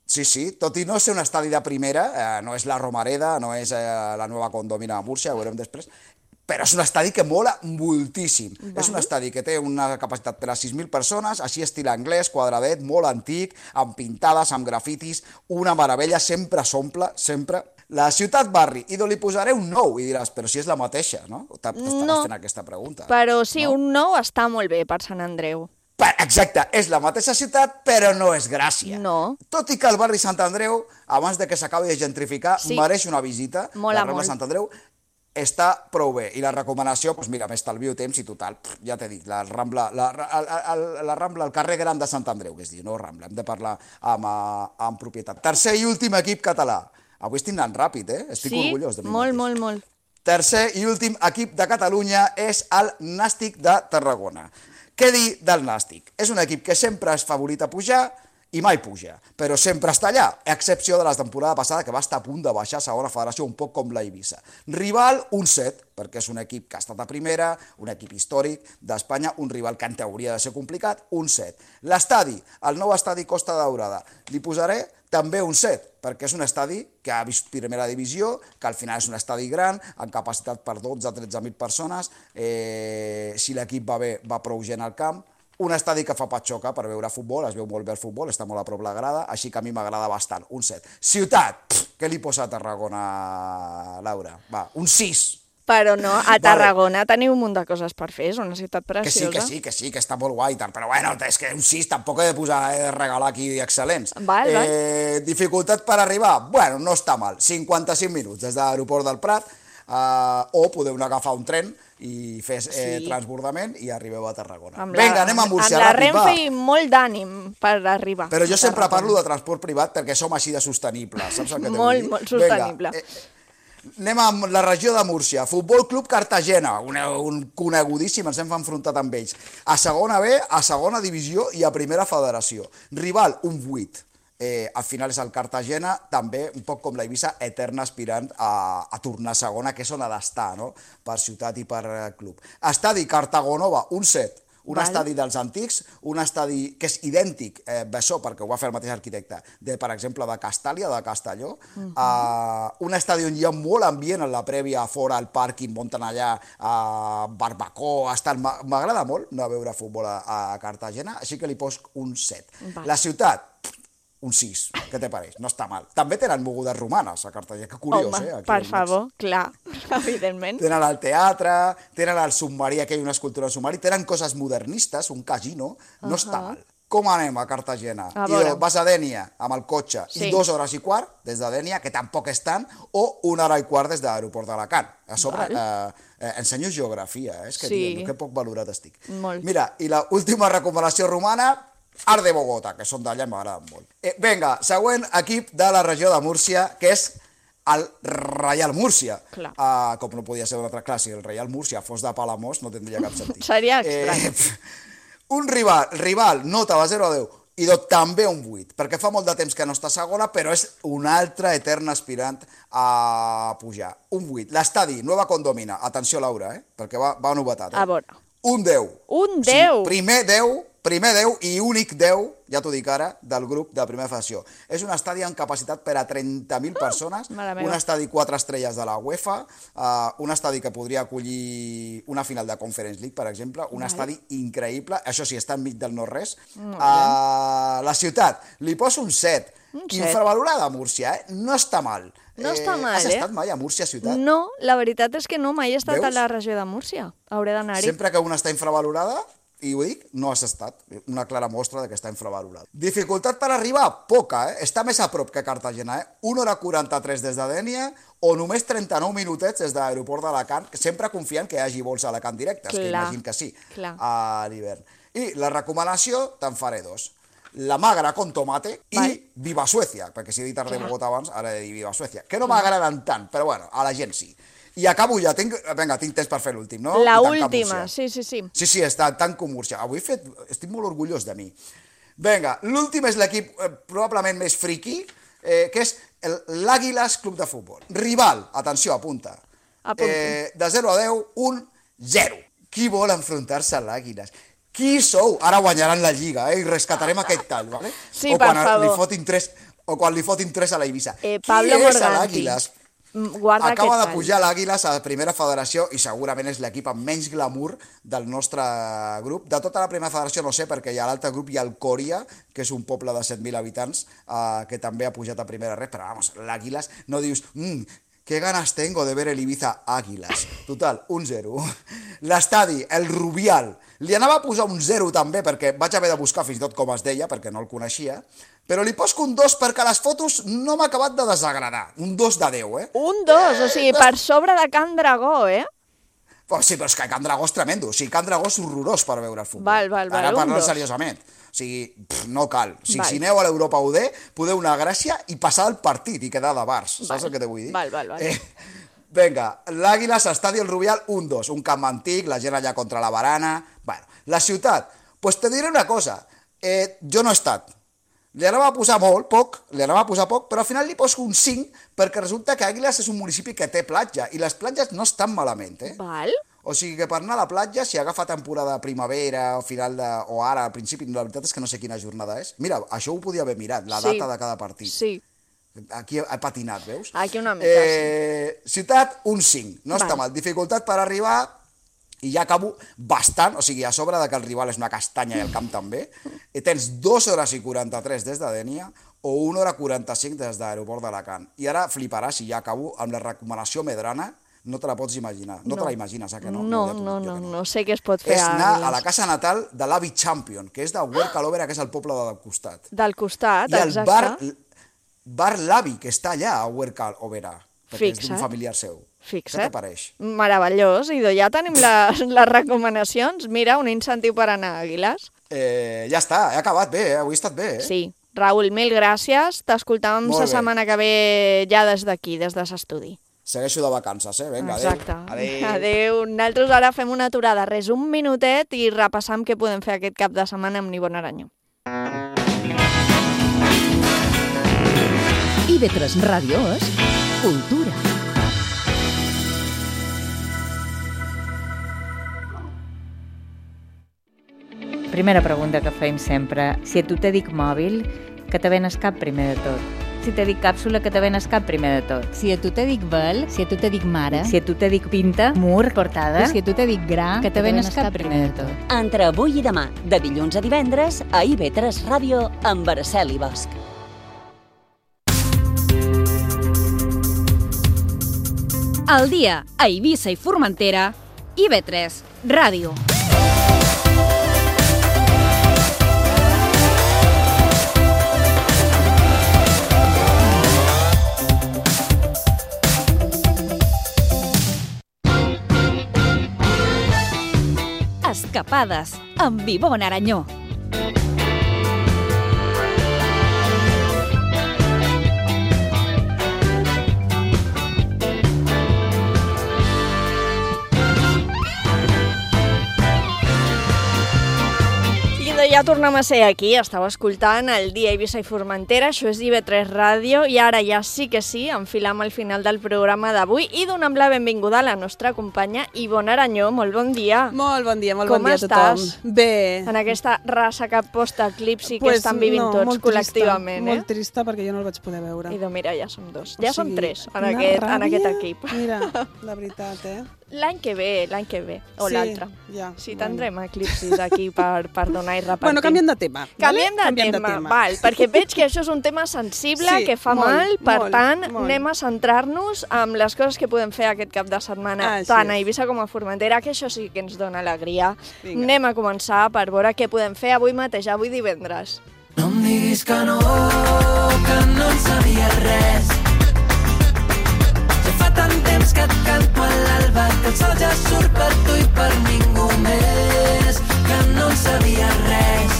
Sí, tot i no ser un estadi de primera, no és la Romareda, no és la nova Condomina de Múrcia, ho veurem després, però és un estadi que mola moltíssim. És un estadi que té una capacitat per a 6.000 persones, així estil anglès, quadradet, molt antic, amb pintades, amb grafitis, una meravella, sempre s'omple, sempre. La ciutat barri, i li posaré un 9, i diràs, però si és la mateixa, no? T'estaràs fent aquesta pregunta. Però sí, un 9 està molt bé per Sant Andreu. Exacte, és la mateixa ciutat, però no és Gràcia. No. Tot i que el barri Sant Andreu, abans de que s'acabi de gentrificar, mereix una visita. Mola molt. La Rambla Sant Andreu està prou bé. I la recomanació, doncs mira, m'estalvio temps i total, ja t'he dit, la Rambla, el carrer gran de Sant Andreu, que es diu, no Rambla, hem de parlar amb propietat. Tercer i últim equip català. Avui estic anant ràpid, estic orgullós de mi mateix. Sí, molt. Tercer i últim equip de Catalunya és el Nàstic de Tarragona. Què dir del Nàstic? És un equip que sempre és favorit a pujar i mai puja, però sempre està allà, a excepció de la temporada passada que va estar a punt de baixar a segona federació, un poc com la Eivissa. Rival, un 7, perquè és un equip que ha estat a primera, un equip històric d'Espanya, un rival que en teoria ha de ser complicat, un 7. L'estadi, el nou estadi Costa Daurada, li posaré també un 7, perquè és un estadi que ha vist primera divisió, que al final és un estadi gran, amb capacitat per 12-13.000 persones, si l'equip va bé, va prou gent al camp, un estadi que fa patxoca per veure futbol, es veu molt bé el futbol, està molt a prop la grada, així que a mi m'agrada bastant, un 7. Ciutat, què li posa a Tarragona, Laura? Va, un 6. Però no, a Tarragona teniu un munt de coses per fer, és una ciutat preciosa. Que sí, que està molt guai, però bueno, és que un 6 tampoc he de regalar aquí excel·lents. Val. Dificultat per arribar? Bueno, no està mal, 55 minuts des de l'aeroport del Prat, o podeu agafar un tren i fer transbordament i arribeu a Tarragona. Vinga, anem a Múrcia, ràpid, va. Amb la Renfe i molt d'ànim per arribar. Però jo sempre parlo de transport privat perquè som així de sostenibles, saps el que t'he de dir? Molt sostenible. Anem a la regió de Múrcia. Futbol Club Cartagena, un conegudíssim, ens hem enfrontat amb ells. A segona B, a segona divisió i a primera federació. Rival, un 8. Al final és el Cartagena, també, un poc com la Eivissa, eterna aspirant a tornar a segona, que és on ha d'estar, no? Per ciutat i per club. Estadi Cartagonova, un 7. Un estadi dels antics, un estadi que és idèntic, això perquè ho va fer el mateix arquitecte, per exemple, de Castàlia, de Castelló, un estadi on hi ha molt ambient en la prèvia, fora, al pàrquing, munten allà, barbacoa, m'agrada molt anar a veure futbol a Cartagena, així que li poso un 7. La ciutat, un 6, què te pareix? No està mal. També tenen mogudes romanes a Cartagena, que curiós, Home, per favor, clar, evidentment. Tenen el teatre, tenen el submarí, aquí hi ha una escultura del submarí, tenen coses modernistes, un casino, no està mal. Com anem a Cartagena? Vas a Dénia amb el cotxe i 2 hores i quart des de Dénia, que tampoc és tant, o 1 hora i quart des de l'aeroport d'Alacant. A sobre, ensenyo geografia, és que que poc valorat estic. Mira, i l'última recomanació romana, Art de Bogotà, que són d'allà i m'agraden molt. Vinga, següent equip de la regió de Múrcia, que és el Reial Múrcia. Com no podia ser un altre clar, si el Reial Múrcia fos de Palamós no tindria cap sentit. Seria estrany. Un rival, nota de 0 a 10, i també un 8, perquè fa molt de temps que no està segona, però és un altre etern aspirant a pujar. Un 8. L'estadi, Nueva Condomina, atenció Laura, perquè va novetat. A veure. Un 10. Un 10? Primer 10 i únic 10, ja t'ho dic ara, del grup de la primera federació. És un estadi amb capacitat per a 30.000 persones, un estadi 4 estrelles de la UEFA, un estadi que podria acollir una final de Conference League, per exemple, un estadi increïble, això sí, està enmig del no-res. La ciutat, li poso un 7. Infravalorada Múrcia, no està mal. No està mal, Has estat mai a Múrcia, ciutat? No, la veritat és que no, mai he estat a la regió de Múrcia. Hauré d'anar-hi. Sempre que una està infravalorada, i ho dic, no has estat. Una clara mostra que està infravalorada. Dificultat per arribar? Poca, Està més a prop que Cartagena, 1 hora 43 des de Dénia o només 39 minutets des de l'aeroport d'Alacant, sempre confiant que hi hagi vols a Alacant directes, que imagino que sí, a l'hivern. I la recomanació, te'n faré 2. La magra con tomate i Viva Suècia, perquè si he dit Art de Bogotà abans, ara he de dir Viva Suècia, que no m'agraden tant, però bueno, a la gent sí. I acabo ja, tinc temps per fer l'últim, no? La última, sí. Sí, està tan com Múrcia. Avui estic molt orgullós de mi. Vinga, l'últim és l'equip probablement més friqui, que és l'Àguiles Club de Futbol. Rival, atenció, apunta. De 0 a 10, un 0. Qui vol enfrontar-se a l'Àguiles? Qui sou? Ara guanyaran la Lliga, i rescatarem aquest tall, ¿vale? Sí, per favor. O quan li fotin 3 a la Eivissa. Pablo Qui és l'Àguiles? Acaba de pujar l'Àguiles a la primera federació i segurament és l'equip amb menys glamour del nostre grup. De tota la primera federació no sé, perquè hi ha l'altre grup, hi ha el Còria, que és un poble de 7.000 habitants, que també ha pujat a primera red, però vamos, l'Àguiles no dius... Qué ganas tengo de ver el Ibiza Águilas. Total, un 0. L'estadi, el Rubial. Li anava a posar un 0 també, perquè vaig haver de buscar fins i tot com es deia, perquè no el coneixia, però li poso un 2 perquè les fotos no m'ha acabat de desagradar. Un 2 de 10, Un 2, o sigui, per sobre de Can Dragó, Sí, però és que Can Dragó és tremendo. O sigui, Can Dragó és horrorós per veure el futbol. Val, ara parlant seriosament. O sigui, no cal. Si aneu a l'Europa UD, podeu anar a Gràcia i passar el partit i quedar de bars. Saps el que te vull dir? Val. Vinga, l'Àguiles, Estadi El Rubial, un 2. Un camp antic, la gent allà contra la barana... Bueno, la ciutat, doncs te diré una cosa. Jo no he estat. Li anava a posar poc, però al final li poso un 5 perquè resulta que Àguiles és un municipi que té platja i les platges no estan malament, Val. O sigui que per anar a la platja, si agafa temporada de primavera o ara, al principi, la veritat és que no sé quina jornada és. Mira, això ho podia haver mirat, la data de cada partit. Sí. Aquí ha patinat, veus? Aquí una mica, sí. Ciutat, un 5. No està mal. Dificultat per arribar, i ja acabo bastant, o sigui, a sobre de que el rival és una castanya i el camp també, tens 2 hores i 43 des de Dénia o 1 hora 45 des de l'aeroport d'Alacant. I ara fliparàs, si ja acabo, amb la recomanació medrana, no te la pots imaginar. No te la imagines, que no? No sé què es pot fer És a anar Aguilas. a la casa natal de l'avi Champion, que és de Huerca-l'Òbera, que és el poble del costat. Del costat, I el exacte. bar l'avi, que està allà a Huerca-l'Òbera, perquè és d'un Fixa't. familiar seu. Fixa't. Què t'apareix? Meravellós, idò, ja tenim les recomanacions. Mira, un incentiu per anar a Aguilas. Ja està, he acabat bé, avui he estat bé. Sí. Raül, mil gràcies. T'escoltàvem Molt la bé. setmana que ve ja des d'aquí, des de l'estudi. Segueixo de vacances, Vinga, Exacte. adéu. Adéu. Nosaltres ara fem una aturada, res, un minutet i repassam què podem fer aquest cap de setmana amb Nivon Aranyó. IB3 Ràdio és cultura. Primera pregunta que feim sempre. Si a tu te dic mòbil, que te ven el cap primer de tot? Si te dic càpsula, que te ven el cap primer de tot? Si a tu te dic vel, si a tu te dic mare, Si a tu te dic pinta, mur, portada, si a tu te dic gra, que te ven el cap primer de tot? Entre avui i demà, de dilluns a divendres, a IB3 Ràdio, amb Araceli Bosch. al dia a Eivissa i Formentera, IB3 Ràdio. Escapades amb Ivonne Aranyó. Ja tornem a ser aquí, estàu escoltant el dia Eivissa i Formentera, això és IB3 Ràdio, i ara ja sí que sí, enfilam al final del programa d'avui i donem la benvinguda a la nostra companya Ivonne Aranyó. Molt bon dia. Molt bon dia a tothom. Com estàs? Bé. En aquesta ressaca post-eclipsi que estan vivint tots col·lectivament, Molt trista, perquè jo no el vaig poder veure. I mira, ja som dos. Ja som tres en aquest equip. Mira, la veritat, L'any que ve, o Sí, l'altre. ja, Sí, tindrem eclipsis aquí per donar i repartir. Bueno, canviem de tema. Canviem de tema, val, perquè veig que això és un tema sensible, Sí, que fa molt, mal, per molt, tant, molt. anem a centrar-nos en les coses que podem fer aquest cap de setmana, Així tant a és. Eivissa com a Formentera, que això sí que ens dona alegria. Vinga. Anem a començar per veure què podem fer avui mateix, avui divendres. No em diguis que no en sabia res. Ja fa tant temps que et canto a l'alba, que el sol ja surt per tu i per ningú més, que no en sabia res.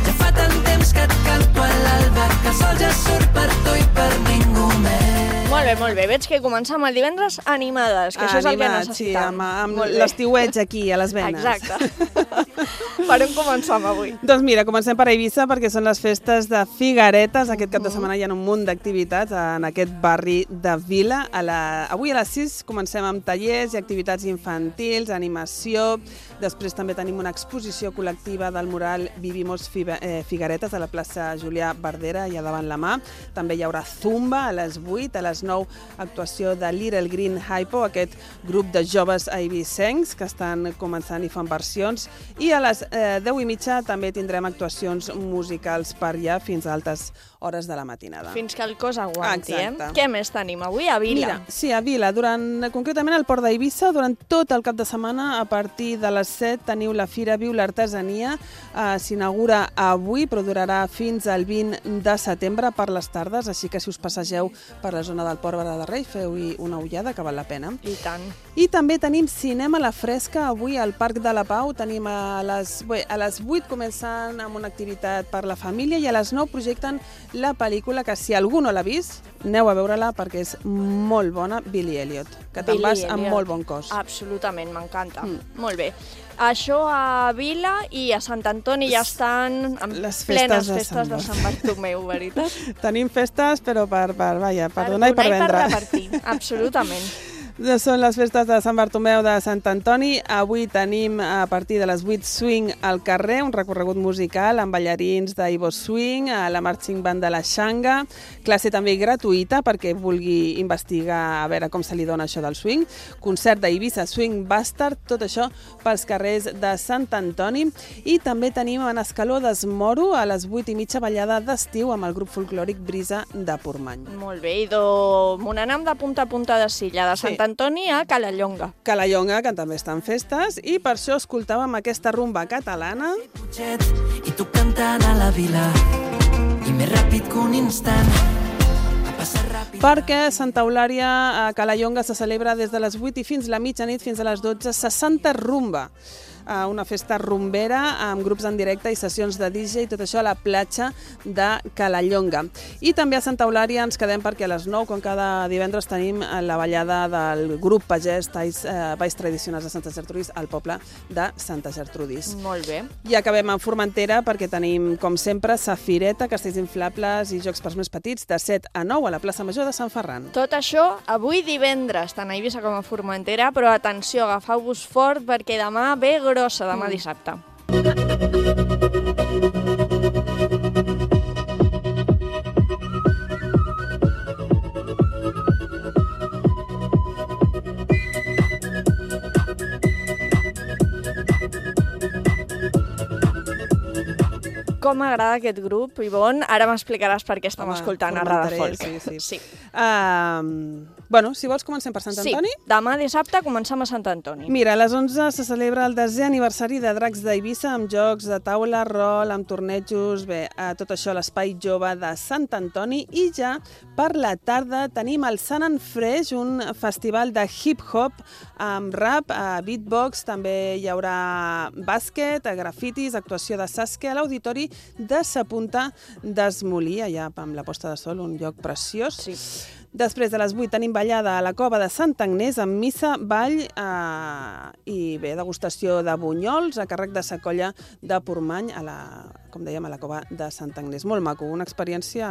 Ja fa tant temps que et canto a l'alba, que el sol ja surt per tu i per ningú més. Molt bé, veig que comencem el divendres animades, que això és el que Animat, necessitem. Sí, amb Molt bé. l'estiueig aquí, a les venes. Exacte. Per on comencem avui? Doncs mira, comencem per Eivissa perquè són les festes de Figueretes. Aquest cap de setmana hi ha un munt d'activitats en aquest barri de Vila. Avui a les 6 comencem amb tallers i activitats infantils, animació. Després també tenim una exposició col·lectiva del mural Vivimos Figueretes a la plaça Julià Verdera, allà davant la mà. També hi haurà zumba a les 8, a les 9 actuació de Little Green Hypo, aquest grup de joves eivissencs que estan començant i fan versions. I a les 10:30 també tindrem actuacions musicals per allà fins a altes hores de la matinada. Fins que el cos aguanti, Exacte. Què més tenim avui a Vila? Mira, sí, a Vila, concretament al Port d'Eivissa, durant tot el cap de setmana, a partir de les 7 teniu la Fira Viu l'Artesania, s'inaugura avui, però durarà fins al 20 de setembre per les tardes, així que si us passegeu per la zona del Port de Rei, feu-hi una ullada, que val la pena. I tant. I també tenim cinema a la fresca, avui al Parc de la Pau, tenim a les 8 començant amb una activitat per la família i a les 9 projecten la pel·lícula que si algú no l'ha vist, aneu a veure-la perquè és molt bona, Billy Elliot, que te'n vas amb molt bon cos. Absolutament, m'encanta. Molt bé. Això a Vila i a Sant Antoni ja estan en les plenes festes festes de Sant Bartomeu, veritat? Tenim festes, però per donar i per vendre. repartir, absolutament. Són les festes de Sant Bartomeu de Sant Antoni. Avui tenim a partir de les 8 swing al carrer, un recorregut musical amb ballarins d'Ivo Swing, la Marching Band de la Xanga, classe també gratuïta perquè vulgui investigar a veure com se li dona això del swing, concert d'Eivissa Swing Bastard, tot això pels carrers de Sant Antoni. I també tenim en Escaló d'Esmoro a les 8:30 ballada d'estiu amb el grup folclòric Brisa de Portmany. Molt bé, i m'anam de punta a punta de Silla, de Sant Antoni a Calallonga. Calallonga, que també està en festes, i per això escoltàvem aquesta rumba catalana. I tu cantant a la vila, i més ràpid que un instant. Perquè Santa Eulària a Calallonga se celebra des de les 8 i fins la mitjanit, fins a les 12, 60 rumba. Una festa rumbera amb grups en directe i sessions de DJ i tot això a la platja de Calallonga. I també a Santa Eulària ens quedem perquè a les 9, com cada divendres, tenim la ballada del grup pagès Balls Tradicionals de Santa Gertrudis al poble de Santa Gertrudis. Molt bé. I acabem a Formentera perquè tenim, com sempre, safireta, castells inflables i jocs pels més petits de 7 a 9 a la plaça Major de Sant Ferran. Tot això avui divendres, tant a Eivissa com a Formentera, però atenció, agafeu-vos fort perquè demà ve grossa, demà dissabte. Com m'agrada aquest grup, Ivonne. Ara m'explicaràs per què estem escoltant a Radafolk. Sí. Bueno, si vols comencem per Sant Antoni? Sí, demà dissabte comencem a Sant Antoni. Mira, a les 11 se celebra el 10è aniversari de Dracs d'Eivissa amb jocs de taula, rol, amb tornejos, tot això a l'Espai Jove de Sant Antoni. I ja per la tarda tenim el Sant and Fresh, un festival de hip-hop amb rap, beatbox, també hi haurà bàsquet, grafitis, actuació de Saskia a l'Auditori de Sa Punta d'Esmolí, allà amb la posta de sol, un lloc preciós. Sí. Després de les 8 tenim ballada a la Cova de Sant Agnès amb missa, ball i degustació de bunyols a càrrec de Sa Colla de Portmany, com dèiem, a la Cova de Sant Agnès. Molt maco, una experiència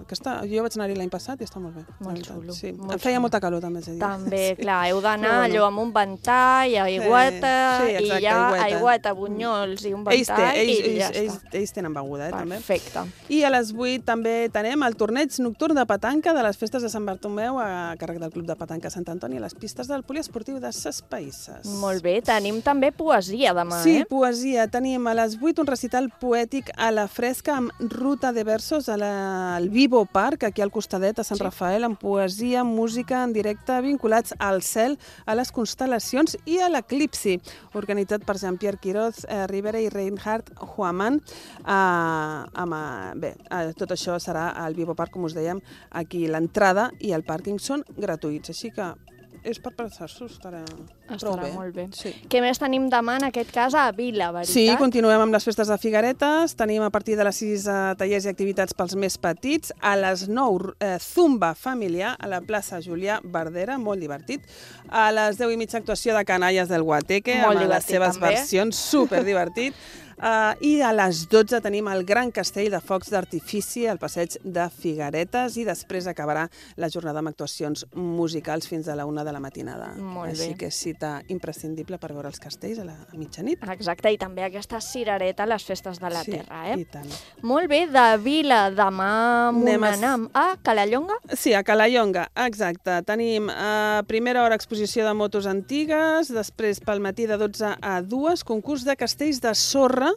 que jo vaig anar-hi l'any passat i està molt bé. Molt xulo. Sí. Em feia molta calor també. També, clar, heu d'anar allò amb un ventall, aigüeta, i ja aigüeta, bunyols i un ventall i ja està. Ells tenen beguda, també. Perfecte. I a les 8 també tenim el torneig nocturn de petanca de les festes de Sant Bartomeu a càrrec del Club de Petanca Sant Antoni a les pistes del poliesportiu de Ses Païsses. Molt bé, tenim també poesia demà, Sí, poesia. Tenim a les 8 un recital poètic a la fresca amb ruta de versos al Vivo Park, aquí al costadet a Sant Rafael, amb poesia, música en directe vinculats al cel, a les constel·lacions i a l'eclipsi, organitzat per Jean-Pierre Quiroz, Rivera i Reinhard Huaman. Tot això serà al Vivo Park, com us dèiem, aquí l'entrada i el pàrquing són gratuïts, així que és per passar-s'ho, estarà prou bé. Molt bé. Sí. Què més tenim demà, en aquest cas, a Vila, veritat? Sí, continuem amb les festes de Figueretes. Tenim a partir de les 6 tallers i activitats pels més petits. A les 9, zumba familiar a la plaça Julià Verdera, molt divertit. A les 10:30, actuació de Canalles del Guateque, amb les seves versions, superdivertit. I a les 12 tenim el gran castell de focs d'artifici al passeig de Figueretes i després acabarà la jornada amb actuacions musicals fins a la 1 de la matinada. Molt bé. Així que és cita imprescindible per veure els castells a la mitjanit. Exacte, i també aquesta cirereta a les festes de la terra, i tant. Molt bé, de Vila, demà anam a Calallonga? Sí, a Calallonga, exacte. Tenim a primera hora exposició de motos antigues, després pel matí de 12 a 2, concurs de castells de sorra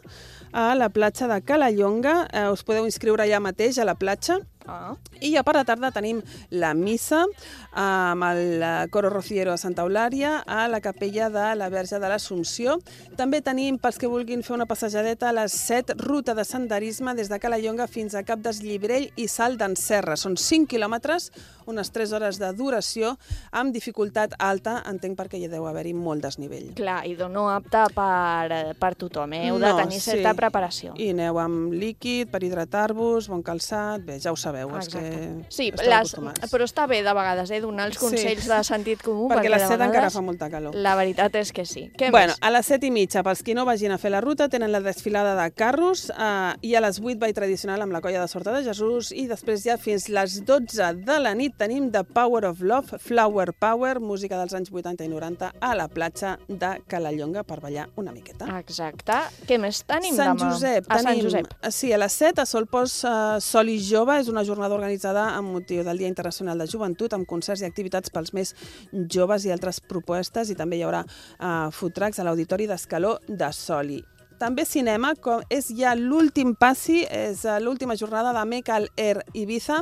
a la platja de Calallonga. Us podeu inscriure allà mateix a la platja. I ja per la tarda tenim la missa amb el Coro Rociero de Santa Eulària a la capella de la Verge de l'Assumpció. També tenim, pels que vulguin fer una passejadeta, a les 7, ruta de senderisme des de Calallonga fins a Cap d'Esllibrell i Salt d'en Serra. Són 5 quilòmetres, unes 3 hores de duració, amb dificultat alta, entenc perquè hi deu haver-hi molt desnivell. Clar, i no apte per tothom, heu de tenir certa preparació. I aneu amb líquid per hidratar-vos, bon calçat, bé, ja ho sabeu. sabeu, els que sí, esteu acostumats. Però està bé de vegades, donar els consells de sentit comú, perquè a les 7 de encara vegades fa molta calor. la veritat és que sí. Què Bueno, més? a les 7:30, pels qui no vagin a fer la ruta, tenen la desfilada de carros i a les 8 ball tradicional amb la colla de Sorta de Jesús i després ja fins les 12 de la nit tenim The Power of Love, Flower Power, música dels anys 80 i 90 a la platja de Calallonga per ballar una miqueta. Exacte. Què més tenim Sant demà? Josep, A Sant tenim, Josep. sí, a les 7 a Solpos Sol i Jove, és una jornada organitzada amb motiu del Dia Internacional de Joventut, amb concerts i activitats pels més joves i altres propostes, i també hi haurà food trucks a l'Auditori d'Escaló de Soli. També cinema, com és ja l'últim passi, és l'última jornada de Make All Air Ibiza,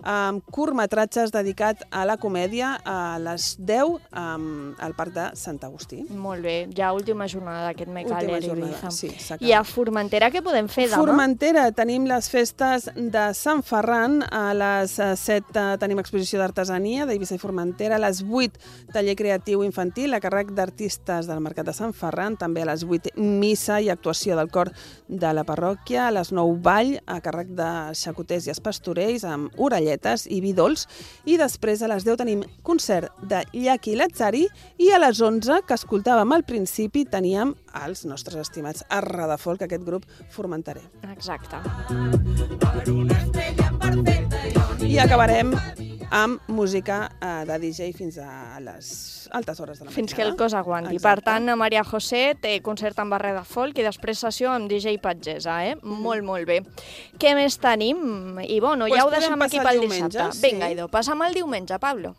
amb curtmetratges dedicat a la comèdia a les 10 al Parc de Sant Agustí. Molt bé, ja última jornada d'aquest Make All Air Ibiza. Sí, I a Formentera què podem fer demà? Formentera tenim les festes de Sant Ferran, a les 7 tenim exposició d'artesania d'Eivissa i Formentera, a les 8 taller creatiu infantil a càrrec d'artistes del Mercat de Sant Ferran, també a les 8 missa i actuació del cor de la parròquia, a les 9 ball a càrrec de xacoters i espastorells amb orelletes i vi dolç, i després a les 10 tenim concert de Llaki Lazzari i a les 11, que escoltàvem al principi, teníem els nostres estimats a Radafolk, aquest grup formenterè. Exacte. I acabarem amb música de DJ fins a les altes hores de la matinada. Fins que el cos aguanti. Exacte. Per tant, a Maria José té concert amb Barret de Folk i després sessió amb DJ Patgesa, Molt, molt bé. Què més tenim? I bueno, ja ho podem deixem aquí passar pel el diumenge, dissabte. sí. Vinga, Ido, passam el diumenge, Pablo.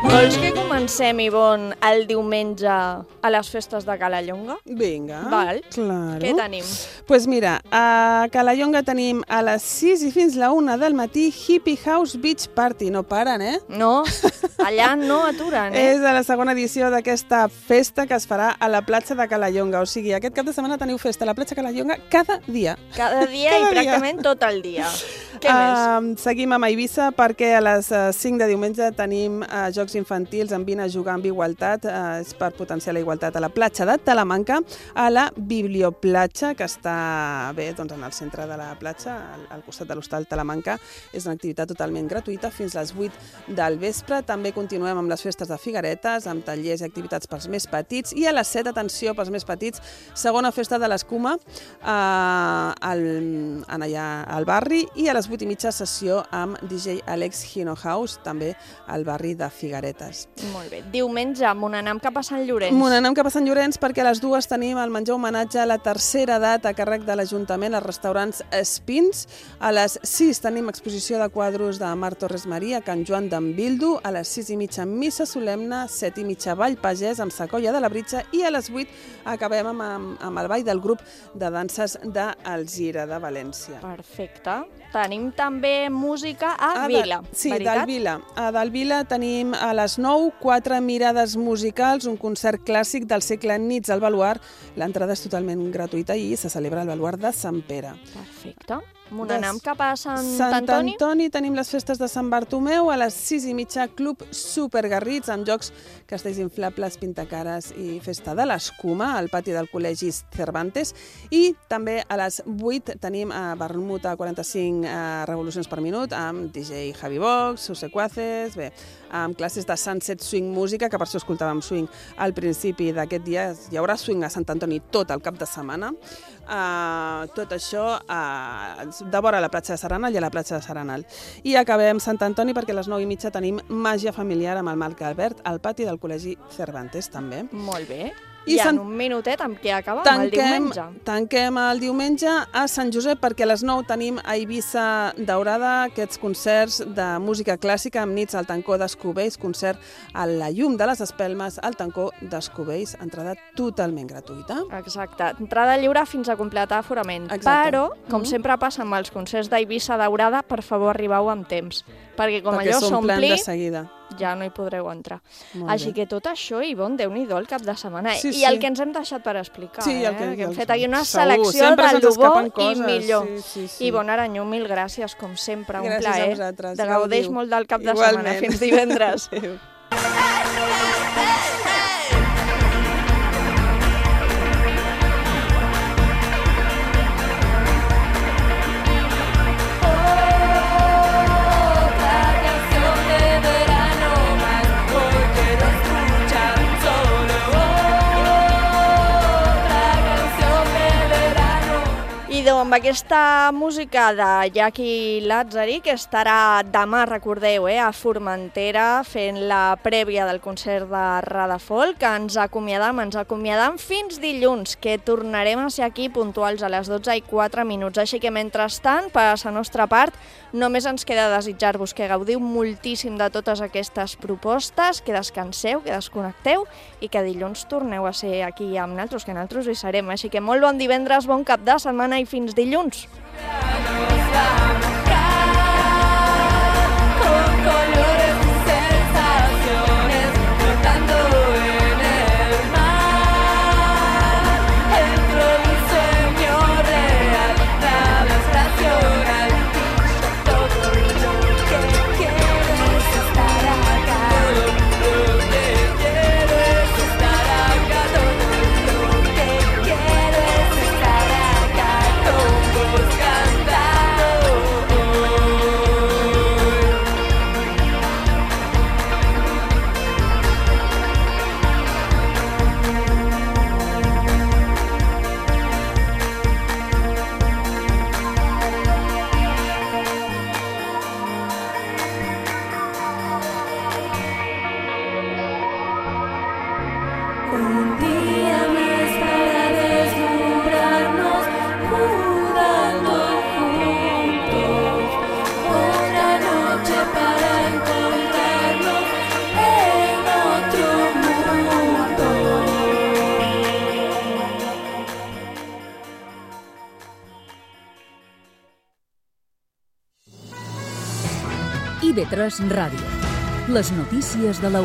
Vols que comencem, Ivonne, el diumenge a les festes de Calallonga? Vinga, Val. claro. Què tenim? Pues mira, a Calallonga tenim a les 6 i fins la 1 del matí Hippie House Beach Party. No paren, No, allà no aturen, És a la segona edició d'aquesta festa que es farà a la platja de Calallonga. O sigui, aquest cap de setmana teniu festa a la platja de Calallonga cada dia. Cada dia i pràcticament tot el dia. Què més? Seguim amb Eivissa perquè a les 5 de diumenge tenim jocs infantils amb Vine a jugar amb igualtat. És per potenciar la igualtat a la platja de Talamanca, a la Biblioplatja, que està bé doncs, en el centre de la platja, al costat de l'Hostal Talamanca. És una activitat totalment gratuïta fins a les 8 del vespre. També continuem amb les festes de Figueretes, amb tallers i activitats pels més petits. I a les 7, atenció, pels més petits, segona festa de l'Escuma allà al barri, i a les 8:30 sessió amb DJ Alex Hino House, també al barri de Figueretes. Molt bé. Diumenge, me n'anem cap a Sant Llorenç. N'anem cap a Sant Llorenç perquè a les 2 tenim el menjar homenatge a la tercera edat a càrrec de l'Ajuntament als restaurants Espins. A les 6 tenim exposició de quadros de Mar Torres Maria, Can Joan d'en Bildu. A les 6:30 missa solemne, 7:30 ball pagès amb Sacolla de la Britxa, i a les 8 acabem amb el ball del grup de danses d'Alzira, de València. Perfecte. Tenim també música a Vila, Sí, veritat? del Vila. Del Vila tenim a les 9 4 mirades musicals, un concert clàssic del segle Nits al Baluard. L'entrada és totalment gratuïta i se celebra al Baluard de Sant Pere. Perfecte. N'anem cap a Sant Antoni? Antoni tenim les festes de Sant Bartomeu, a les 6:30 Club Supergarrits, amb jocs, castells inflables, pintacares i festa de l'Escuma al pati del Col·legi Cervantes, i també a les 8 tenim a vermut a 45 revolucions per minut amb DJ Javi Vox, Susecuaces, bé, amb classes de Sunset Swing Música, que per això escoltàvem swing al principi d'aquest dia. Hi haurà swing a Sant Antoni tot el cap de setmana. Tot això de vora a la platja de Serenal i a la platja de Serenal. I acabem Sant Antoni perquè a les 9:30 tenim màgia familiar amb el Marc Albert al pati del Col·legi Cervantes, també. Molt bé. I en un minutet amb què acabem el diumenge. Tanquem el diumenge a Sant Josep perquè a les 9 tenim a Eivissa Daurada aquests concerts de música clàssica amb nits al Tancó d'Escubells, concert a la llum de les espelmes al Tancó d'Escubells, entrada totalment gratuïta. Exacte, entrada lliure fins a completar aforament. Exacte. Però, com sempre passa amb els concerts d'Eivissa Daurada, per favor arribeu amb temps, perquè com allò s'omplen s'ompli, de seguida. ja no hi podreu entrar. Molt Així bé. que tot això, Ivonne, Déu-n'hi-do el cap de setmana. Sí, I sí. el que ens hem deixat per explicar, Sí, el que- que hem fet aquí una segur, selecció sempre de se'ns lo bo escapen i coses, millor. sí. Ivonne Aranyó, mil gràcies, com sempre, un Gràcies a plaer. vosaltres, De gaudeix gaudiu. molt del cap de Igualment. setmana. Fins divendres. Adéu. Amb aquesta música de Jackie Lazzari, que estarà demà, recordeu, a Formentera, fent la prèvia del concert de Radafolk, que ens acomiadam fins dilluns, que tornarem a ser aquí puntuals a les 12:04. Així que, mentrestant, per la nostra part, només ens queda desitjar-vos que gaudiu moltíssim de totes aquestes propostes, que descanseu, que desconnecteu i que dilluns torneu a ser aquí amb nosaltres, que nosaltres hi serem. Així que molt bon divendres, bon cap de setmana i fins dilluns. Un día más para deslumbrarnos, jugando juntos. Otra noche para encontrarnos en otro mundo. IB3 Ràdio. Les notícies de la 1.